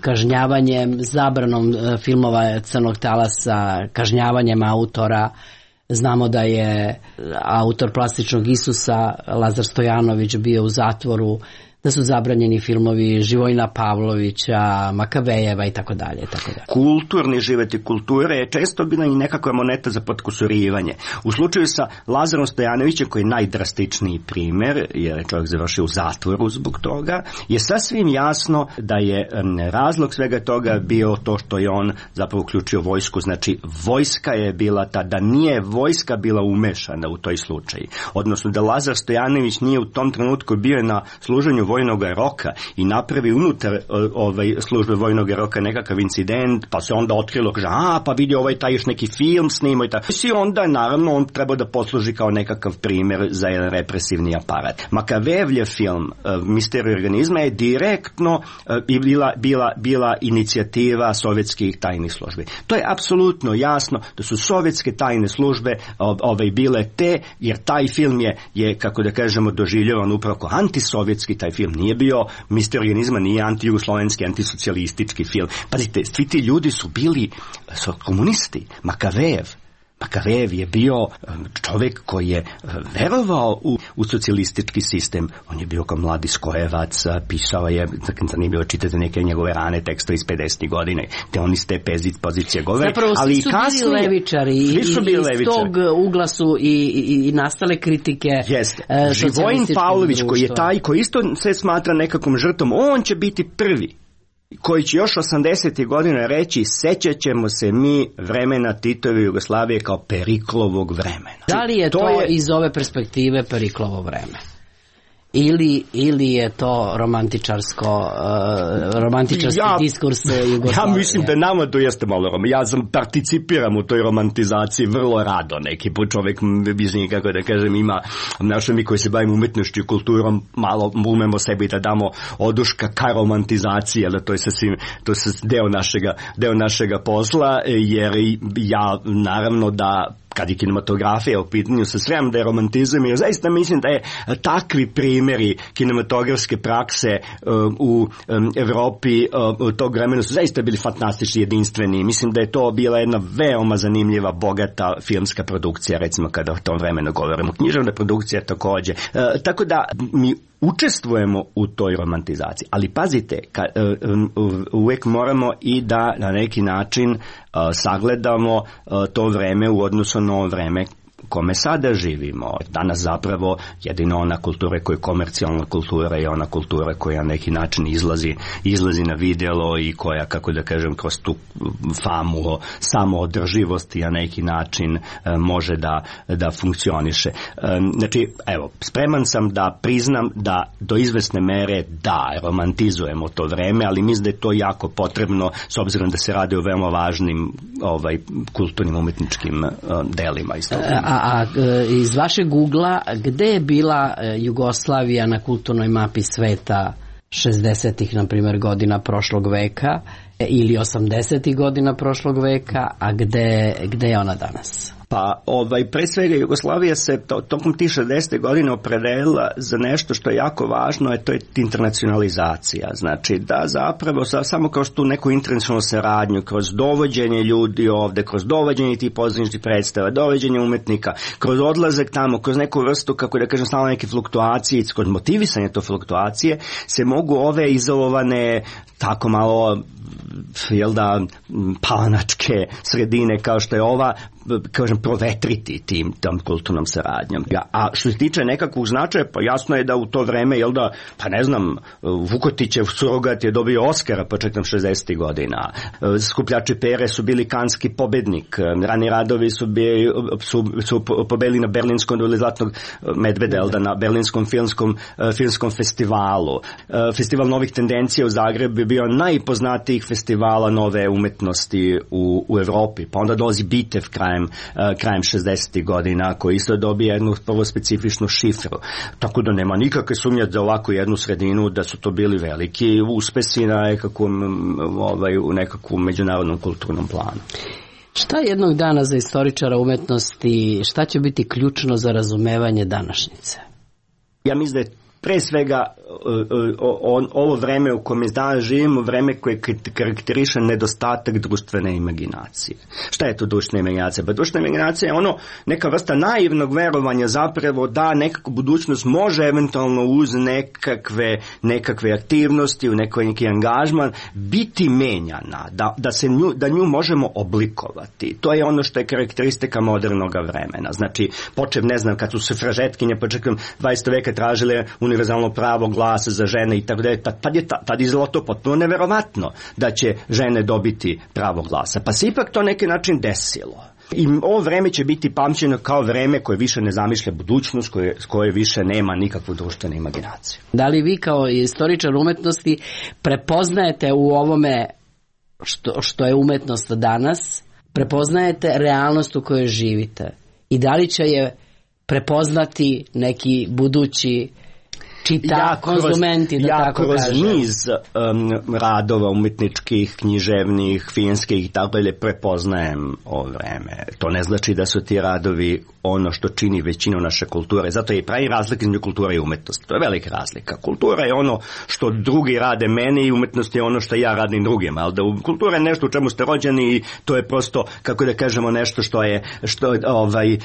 kažnjavanjem, zabranom filmova Crnog talasa, kažnjavanjem autora? Znamo da je autor Plastičnog Isusa, Lazar Stojanović, bio u zatvoru, da su zabranjeni filmovi Živojina Pavlovića, Makavejeva i tako dalje, tako dalje. Kulturni život i kulture je često bila i nekakva moneta za potkusurivanje. U slučaju sa Lazarom Stojanovićem, koji je najdrastičniji primjer, jer je čovjek završio u zatvoru zbog toga, je sasvim jasno da je razlog svega toga bio to što je on zapravo uključio vojsku. Znači, vojska je bila ta, da nije vojska bila umešana u toj slučaju. Odnosno, da Lazar Stojanović nije u tom trenutku bio na služenju vojnog roka i napravi unutar ovaj, službe vojnog roka nekakav incident, pa se onda otkrilo, kaže, a, pa vidi ovaj taj još neki film snimao i tako. I onda, naravno, on treba da posluži kao nekakav primjer za jedan represivni aparat. Makavejevljev film uh, Misterij organizma je direktno uh, bila, bila, bila inicijativa sovjetskih tajnih službi. To je apsolutno jasno da su sovjetske tajne službe uh, ovaj, bile te, jer taj film je, je kako da kažemo, doživljavan upravo kao antisovjetski taj film. Nije bio Misterij organizma, nije antijugoslovenski, antisocijalistički film. Pazite, svi ti ljudi su bili su komunisti. Makavejev. Makavejev je bio čovjek koji je verovao u, u socijalistički sistem. On je bio kao mladi skojevac, pisao je, zanimljivo čitati neke njegove rane tekstove iz pedesetih godine, te on iz te pozicije govore. Zapravo, ali svi su kasnije, bili levičari i, i iz levičari. Tog ugla su i, i, i nastale kritike. Jeste. E, Živojin Pavlović, društva. Koji je taj, koji isto se smatra nekakvom žrtvom, on će biti prvi koji će još osamdesetih godina reći, sećat ćemo se mi vremena Titove Jugoslavije kao Periklovog vremena. Da li je to, to je... iz ove perspektive Periklovo vreme? Ili, ili je to romantičarsko uh, romantičarski ja, diskurs Jugoslavije? Ja mislim da nama to jeste malo rom. Ja sam participiram u toj romantizaciji vrlo rado. Neki put čovjek, mislim, kako da kažem, ima našo mi koji se bavimo umetnošću i kulturom, malo umemo sebi da damo oduška ka romantizaciji, ali to je sasvim, to je deo našega, deo našega posla, jer ja naravno da kad je kinematografija u pitanju, sa srem da je romantizam, jer zaista mislim da je takvi primjeri kinematografske prakse uh, u um, Evropi uh, tog vremena su zaista bili fantastični, jedinstveni. Mislim da je to bila jedna veoma zanimljiva, bogata filmska produkcija, recimo kada o tom vremenu govorimo. Književna produkcija takođe. Uh, tako da mi učestvujemo u toj romantizaciji. Ali pazite, ka, uh, uvek moramo i da na neki način uh, sagledamo uh, to vreme u odnosu na ovo vreme kome sada živimo. Danas zapravo jedino ona kultura koja je komercijalna kultura je ona kultura koja na neki način izlazi, izlazi na vidjelo i koja, kako da kažem, kroz tu famu o samoodrživosti na neki način može da, da funkcioniše. Znači, evo, spreman sam da priznam da do izvesne mere da, romantizujemo to vreme, ali mislim da je to jako potrebno s obzirom da se radi o veoma važnim ovaj, kulturnim umetničkim delima iz toga. A, a iz vašeg Googla, gde je bila Jugoslavija na kulturnoj mapi sveta šezdesetih, na primjer, godina prošlog veka ili osamdesetih godina prošlog veka, a gde, gde je ona danas? Pa, ovaj, pre svega Jugoslavija se to, tokom tih šezdesetih godina opredelila za nešto što je jako važno, a to je internacionalizacija. Znači, da zapravo samo kroz tu neku internacionalnu saradnju, kroz dovođenje ljudi ovde, kroz dovođenje tih pozorišnih predstava, dovođenje umetnika, kroz odlazak tamo, kroz neku vrstu, kako da kažem, stalno neke fluktuacije, kroz motivisanje to fluktuacije, se mogu ove izolovane, tako malo, jel da, palanačke sredine kao što je ova, kažem, provetriti tim tom kulturnom saradnjom. A što se tiče nekakvog značaja, pa jasno je da u to vreme, jel da, pa ne znam, Vukotićev surogat je dobio Oskara početkom šezdesetih godina. Skupljači pere su bili kanski pobednik. Rani radovi su, bili, su, su pobedili na berlinskom doli Zlatnog medveda, jel da, na berlinskom filmskom, filmskom festivalu. Festival novih tendencija u Zagrebu je bio najpoznatijih festivala nove umetnosti u, u Evropi. Pa onda dolazi Bitev krajem, krajem šezdesetih godina, koji isto dobije jednu prvo specifičnu šifru. Tako da nema nikakve sumnje za ovakvu jednu sredinu da su to bili veliki uspesi na nekakvom, ovaj, u nekakvom međunarodnom kulturnom planu. Šta jednog dana za istoričara umetnosti, šta će biti ključno za razumevanje današnjice? Ja mislim da je pre svega ovo vreme u kome danas živimo, vreme koje karakteriše nedostatak društvene imaginacije. Šta je to društvena imaginacija? Pa društvena imaginacija je ono neka vrsta naivnog verovanja zapravo da nekako budućnost može eventualno uz nekakve, nekakve aktivnosti, u nekoj neki angažman biti menjana, da, da, se nju, da nju možemo oblikovati. To je ono što je karakteristika modernog vremena. Znači, počev, ne znam, kad su se fražetkinje početkom dvadesetog veka tražile univerzalno pravo glasa za žene i tako dalje, tad je tad izgleda to potpuno neverovatno da će žene dobiti pravo glasa. Pa se ipak to neki način desilo. I ovo vreme će biti pamćeno kao vreme koje više ne zamišlja budućnost, koje, koje više nema nikakvu društvenu imaginaciju. Da li vi kao istoričar umetnosti prepoznajete u ovome što, što je umetnost danas, prepoznajete realnost u kojoj živite? I da li će je prepoznati neki budući čita, ja konzumenti, da ja tako kroz kažem. niz um, radova umetničkih, književnih, filmskih i tako dalje prepoznajem ovo vreme. To ne znači da su ti radovi ono što čini većinu naše kulture. Zato je i pravi razlika između kulture i umetnosti. To je velika razlika. Kultura je ono što drugi rade meni i umetnost je ono što ja radim drugima. Ali da kultura je nešto u čemu ste rođeni i to je prosto, kako da kažemo, nešto što je, što, ovaj,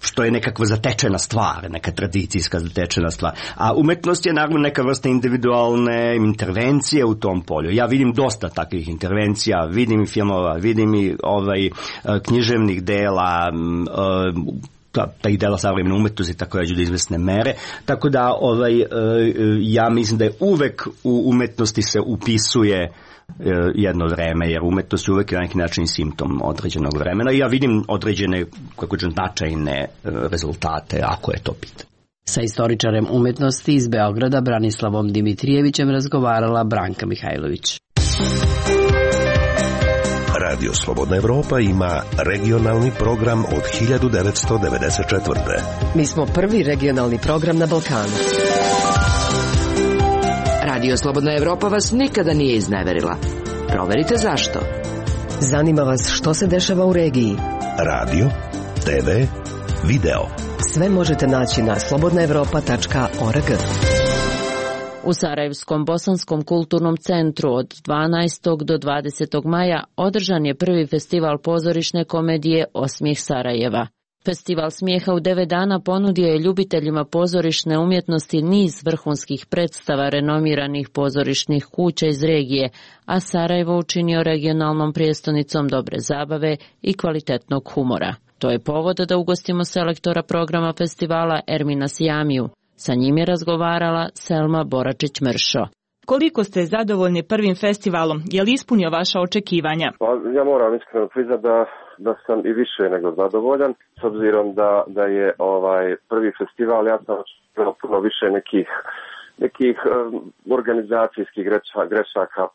što je nekakva zatečena stvar, neka tradicijska zatečena stvar. A umetnost je naravno neka vrsta individualne intervencije u tom polju. Ja vidim dosta takvih intervencija, vidim i filmova, vidim i ovaj, književnih dela, ta, ta i dela savremene umetnosti takođe do izvesne mere. Tako da ovaj, ja mislim da je uvek u umetnosti se upisuje jedno vreme, jer umetnost je uvek na neki način simptom određenog vremena i ja vidim određene, kako ću, značajne rezultate, ako je to pitanje. Sa istoričarem umetnosti iz Beograda Branislavom Dimitrijevićem razgovarala Branka Mihajlović. Radio Slobodna Evropa ima regionalni program od hiljadu devetsto devedeset četvrte. Mi smo prvi regionalni program na Balkanu. Radio Slobodna Evropa vas nikada nije izneverila. Proverite zašto. Zanima vas što se dešava u regiji. Radio te ve, video. Sve možete naći na slobodna evropa tačka org. U Sarajevskom bosanskom kulturnom centru od dvanaestog do dvadesetog maja održan je prvi festival pozorišne komedije Osmijeh Sarajeva. Festival smijeha u devet dana ponudio je ljubiteljima pozorišne umjetnosti niz vrhunskih predstava renomiranih pozorišnih kuća iz regije, a Sarajevo učinio regionalnom prijestonicom dobre zabave i kvalitetnog humora. To je povod da ugostimo selektora programa festivala Ermina Sijamiju. Sa njim je razgovarala Selma Boračić-Mršo. Koliko ste zadovoljni prvim festivalom? Je li ispunio vaša očekivanja? Pa, ja moram iskreno priznati da, da sam i više nego zadovoljan, s obzirom da, da je ovaj prvi festival, ja sam očekivao puno više nekih, nekih um, organizacijskih greša, grešaka,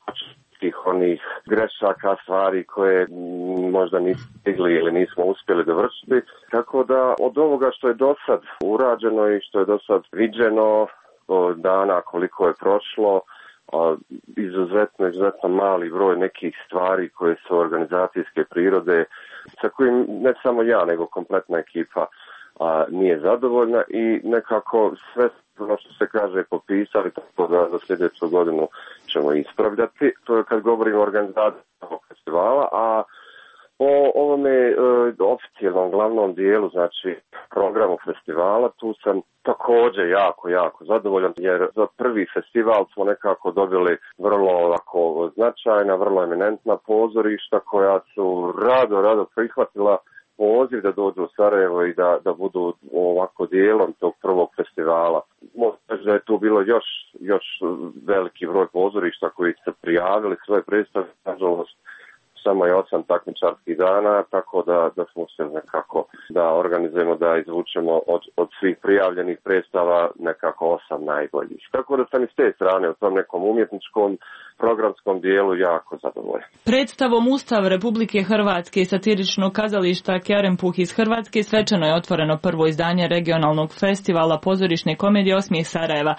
tih onih grešaka, stvari koje možda nismo stigli ili nismo uspjeli dovršiti. Tako da od ovoga što je do sad urađeno i što je do sad viđeno, dana koliko je prošlo, izuzetno, izuzetno mali broj nekih stvari koje su organizacijske prirode, sa kojim ne samo ja, nego kompletna ekipa a, nije zadovoljna i nekako sve ono što se kaže popisali, tako da za sljedeću godinu ćemo ispravljati. To je kad govorimo o organizaciji festivala, a o ovome e, oficijalnom glavnom dijelu, znači programu festivala, tu sam također jako, jako zadovoljan, jer za prvi festival smo nekako dobili vrlo ovako značajna, vrlo eminentna pozorišta koja su rado, rado prihvatila poziv da dođu u Sarajevo i da, da budu ovako dijelom tog prvog festivala. Možda da je tu bilo još, još veliki broj pozorišta koji su prijavili svoje predstave, nažalost, samo je osam takmičarskih dana, tako da, da smo se nekako da organizujemo, da izvučemo od, od svih prijavljenih predstava nekako osam najboljih. Tako da sam iz te strane u tom nekom umjetničkom programskom dijelu jako zadovoljan. Predstavom Ustav Republike Hrvatske i satiričnog kazališta Kerempuh iz Hrvatske svečano je otvoreno prvo izdanje regionalnog festivala pozorišne komedije Osmijeh Sarajeva.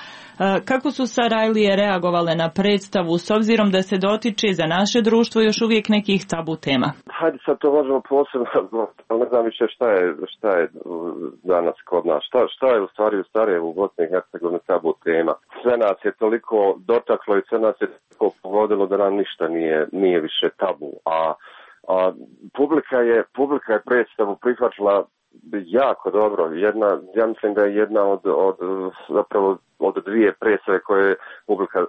Kako su Sarajlije reagovale na predstavu s obzirom da se dotiče za naše društvo još uvijek nekih tabu tema? Hajde sad to možemo posebno, ali ne znam više šta je, šta je danas kod nas. Šta, šta je u stvari u Sarajevu u Bosni i Hercegovini tabu tema? Sve nas je toliko dotaklo i sve nas je toliko pogodilo da nam ništa nije, nije više tabu. A, a publika je, publika je predstavu prihvaćala jako dobro. Jedna, ja mislim da je jedna od, od zapravo od dvije predstave koje publika,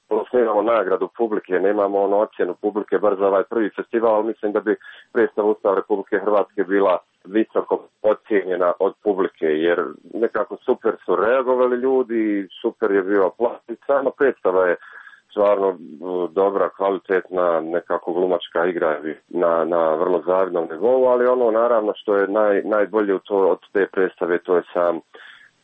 osnivamo nagradu publike, nemamo ono ocjenu publike bar za ovaj prvi festival, ali mislim da bi predstava Ustav Republike Hrvatske bila visoko ocijenjena od publike, jer nekako super su reagovali ljudi, super je bio aplauz, sama predstava je stvarno dobra, kvalitetna, nekako glumačka igra na, na vrlo zavidnom nivou, ali ono naravno što je naj, najbolje u to, od te predstave, to je sam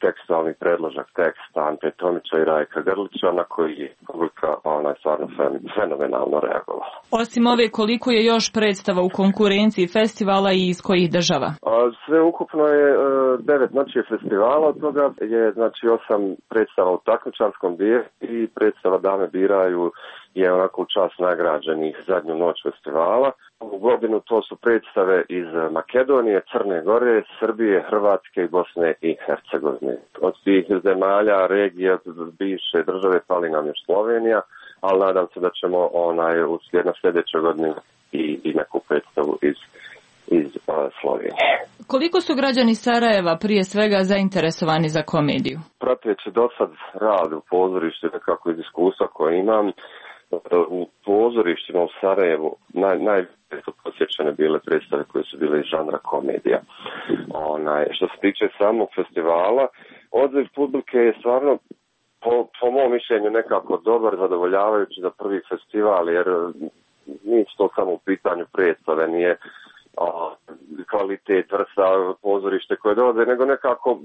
tekstualni predložak teksta Ante Tomića i Rajka Grlića, na koji je publika ona je stvarno fenomenalno reagovala. Osim ove, koliko je još predstava u konkurenciji festivala i iz kojih država? A, sve ukupno je e, devet noći festivala, od toga je znači osam predstava u takmičarskom dijelu i predstava Dame biraju je onako u čast nagrađenih zadnju noć festivala. Ovu godinu to su predstave iz Makedonije, Crne Gore, Srbije, Hrvatske i Bosne i Hercegovine. Od tih zemalja, regije, bivše države pali nam još Slovenija, ali nadam se da ćemo onaj u sljedećoj godini i, i neku predstavu iz iz uh, Slovenije. Koliko su građani Sarajeva prije svega zainteresovani za komediju? Prateći do sad rad u pozorištu, nekako iz iskustva koje imam, u pozorištima u Sarajevu naj, najviše su posjećane bile predstave koje su bile iz žanra komedija. Onaj, što se tiče samog festivala, odziv publike je stvarno po, po mom mišljenju nekako dobar, zadovoljavajući za prvi festival, jer nije to samo u pitanju predstave, nije a, kvalitet, vrsta pozorište koje dolaze, nego nekako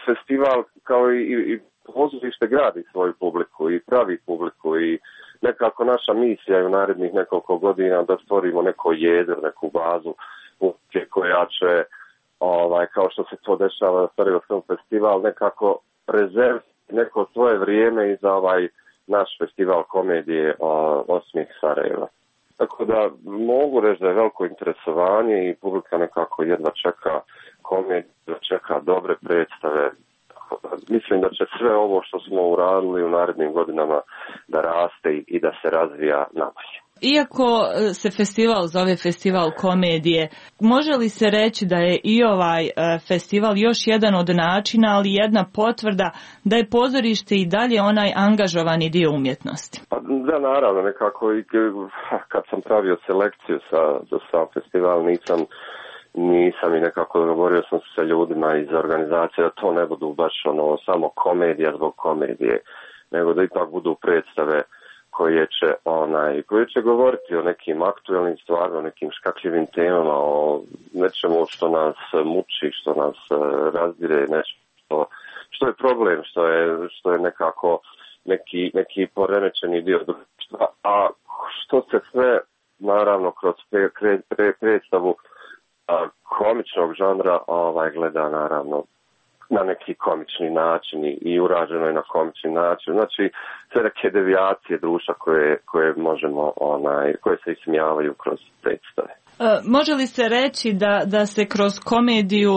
festival kao i, i pozorište gradi svoju publiku i pravi publiku i nekako naša misija je u narednih nekoliko godina da stvorimo neko jezero, neku bazu publike koja će, ovaj, kao što se to dešava na Sarajevskom festival, nekako rezerviti neko svoje vrijeme i za ovaj naš festival komedije o, Osmijeh Sarajeva. Tako da mogu reći da je veliko interesovanje i publika nekako jedva čeka komediju, da čeka dobre predstave. Mislim da će sve ovo što smo uradili u narednim godinama da raste i da se razvija nabolje. Iako se festival zove festival komedije, može li se reći da je i ovaj festival još jedan od načina, ali jedna potvrda da je pozorište i dalje onaj angažovani dio umjetnosti? Pa, da, naravno, nekako i kad sam pravio selekciju sa, za sam festival nisam Nisam i nekako dogovorio sam se sa ljudima iz organizacije da to ne budu baš ono samo komedija zbog komedije, nego da ipak budu predstave koje će onaj koje će govoriti o nekim aktuelnim stvarima, o nekim škakljivim temama, o nečemu što nas muči, što nas razdire, nešto što, što je problem, što je što je nekako neki neki poremećeni dio društva, a što se sve naravno kroz pre, pre, pre, predstavu komičnog žanra ovaj gleda naravno na neki komični način i urađeno je na komični način. Znači sve neke devijacije društva koje, koje možemo onaj koje se ismijavaju kroz predstave. Može li se reći da, da se kroz komediju,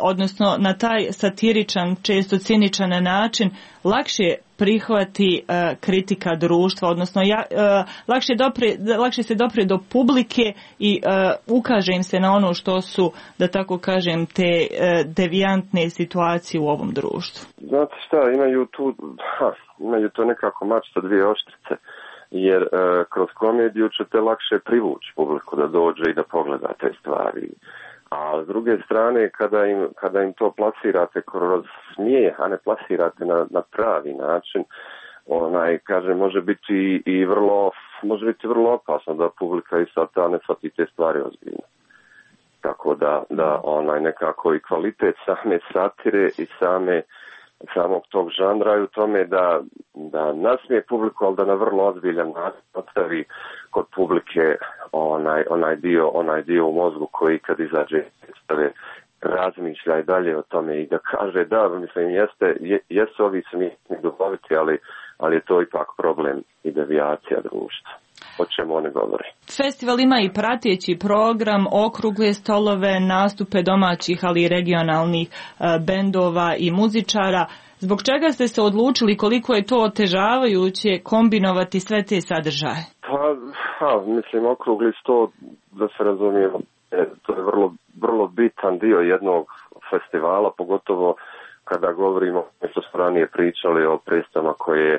odnosno na taj satiričan, često ciničan način, lakše prihvati kritika društva, odnosno ja, lakše, dopre, lakše se dopre do publike i ukaže im se na ono što su, da tako kažem, te devijantne situacije u ovom društvu? Znate šta, imaju tu, ha, imaju to nekako mač sa dvije oštrice. Jer e, kroz komediju ćete lakše privući publiku da dođe i da pogleda te stvari. A s druge strane, kada im, kada im to plasirate kroz smijeh, a ne plasirate na, na pravi način, onaj, kaže, može biti i vrlo, može biti vrlo opasno da publika i sad ta ne shvati te stvari ozbiljno. Tako da, da onaj, nekako i kvalitet same satire i same samog tog žanra je u tome da, da nasmije publiku, ali da na vrlo ozbiljan način ostavi kod publike onaj, onaj, dio, onaj dio u mozgu koji kad izađe predstave razmišlja i dalje o tome i da kaže da, mislim, jeste, je, jesu ovi smiješni duhoviti, ali, ali je to ipak problem i devijacija društva. O čemu oni govori. Festival ima i prateći program, okrugle stolove, nastupe domaćih, ali i regionalnih e, bendova i muzičara. Zbog čega ste se odlučili, koliko je to otežavajuće kombinovati sve te sadržaje? Pa, ha, mislim, okrugli sto, da se razumijemo, to je vrlo, vrlo bitan dio jednog festivala, pogotovo kada govorimo, što smo ranije pričali o predstavama koje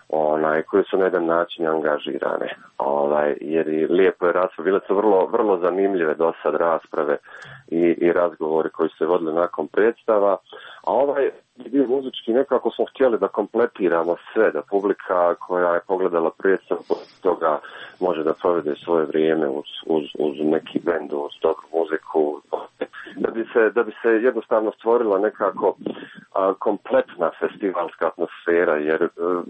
onaj koje su na jedan način angažirane. Ovaj jer i lijepo je rasprave, bile su vrlo vrlo zanimljive do sad rasprave i i razgovori koji su se vodili nakon predstava, a ovaj dio muzički nekako smo htjeli da kompletiramo sve, da publika koja je pogledala predstavu toga može da provede svoje vrijeme uz, uz, uz neki bend, uz dobru muziku, da bi se, da bi se jednostavno stvorila nekako a, kompletna festivalska atmosfera, jer a,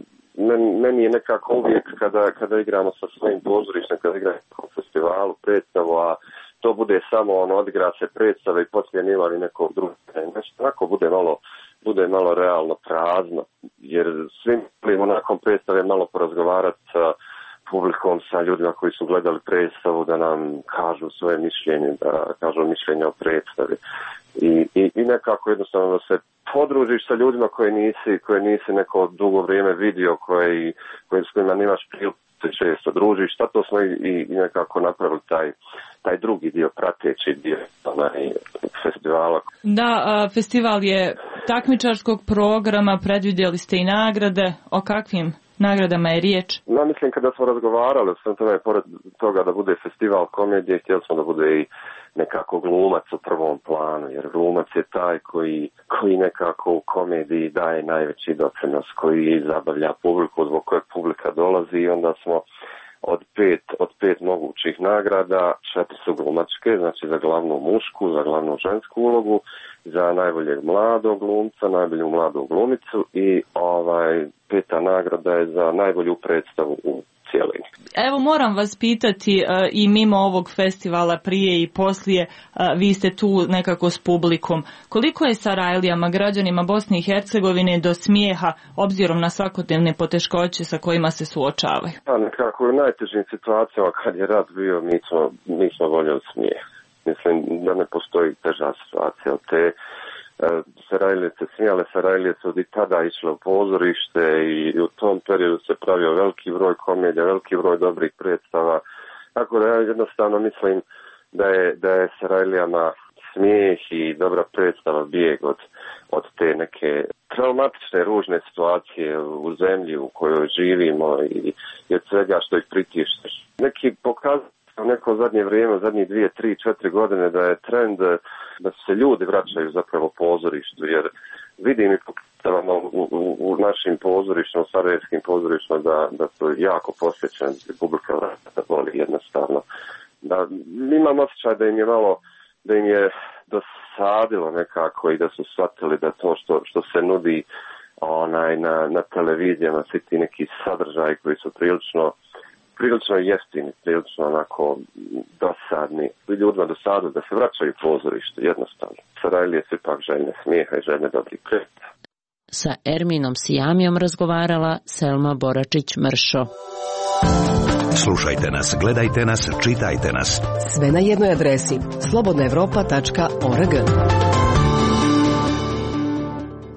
meni je nekako uvijek kada, kada igramo sa svojim pozorištem, kada igramo na festivalu predstavu, a to bude samo ono, odigra se predstave i poslije nima li nekog drugog, nešto tako bude malo, bude malo realno prazno, jer svim volimo nakon predstave malo porazgovarati sa publikom, sa ljudima koji su gledali predstavu, da nam kažu svoje mišljenje, da kažu mišljenje o predstavi. I, i, i nekako jednostavno da se podružiš sa ljudima koje nisi, koje nisi neko dugo vrijeme vidio, koje, koje, s kojima nemaš priliku se često družiš. Zato smo i, i nekako napravili taj, taj drugi dio, prateći dio onaj, festivala. Da, a, festival je takmičarskog programa, predvidjeli ste i nagrade. O kakvim nagradama je riječ? No, mislim, kada smo razgovarali o svem tome, pored toga da bude festival komedije, htjeli smo da bude i nekako glumac u prvom planu, jer glumac je taj koji, koji nekako u komediji daje najveći doprinos, koji zabavlja publiku, zbog koje publika dolazi, i onda smo od pet, od pet mogućih nagrada, četiri su glumačke, znači za glavnu mušku, za glavnu žensku ulogu, za najboljeg mladog glumca, najbolju mladu glumicu i ovaj peta nagrada je za najbolju predstavu u cijelini. Evo, moram vas pitati, uh, i mimo ovog festivala prije i poslije, uh, vi ste tu nekako s publikom. Koliko je Sarajlijama, građanima Bosne i Hercegovine, do smijeha, obzirom na svakodnevne poteškoće sa kojima se suočavaju? Pa nekako u najtežim situacijama kad je rat bio, mi smo, mi smo voljeli smijeh. Mislim da ne postoji teža situacija od te Sarajlice, smijale Sarajlice od i tada išle u pozorište i u tom periodu se pravio veliki broj komedija, veliki broj dobrih predstava. Tako da ja jednostavno mislim da je, da je Sarajlijama smijeh i dobra predstava bijeg od, od te neke traumatične, ružne situacije u zemlji u kojoj živimo i, i od svega što ih pritišće. Neki pokazuju u neko zadnje vrijeme, zadnjih dvije, tri, četiri godine da je trend da se ljudi vraćaju zapravo pozorištu, jer vidim i pokazavamo u, u, u našim pozorištima, u sarajevskim pozorištima da, da su jako posjećeni, publika vrata voli jednostavno. Da, imam osjećaj da im je malo, da im je dosadilo nekako i da su shvatili da to što, što se nudi onaj, na, na televizijama, svi ti neki sadržaji koji su prilično prilično jeftini, prilično onako dosadni. Ljudima dosadu da se vraćaju u pozorište, jednostavno. Sarajlije su ipak željne smijeha i željne dobrih predstava. Sa Erminom Sijamijom razgovarala Selma Boračić-Mršo. Slušajte nas, gledajte nas, čitajte nas. Sve na jednoj adresi slobodna evropa tačka org.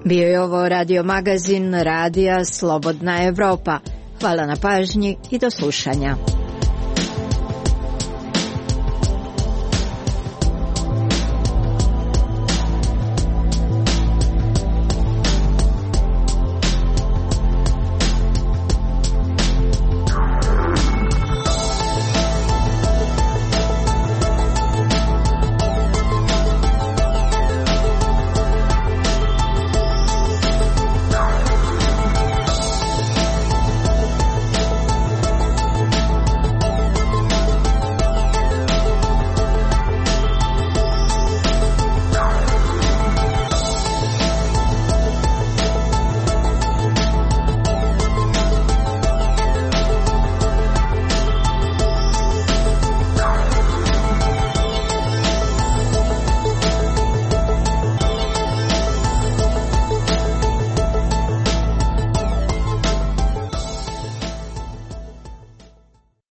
Bio je ovo radio magazin Radija Slobodna Evropa. Hvala na pažnji i do slušanja.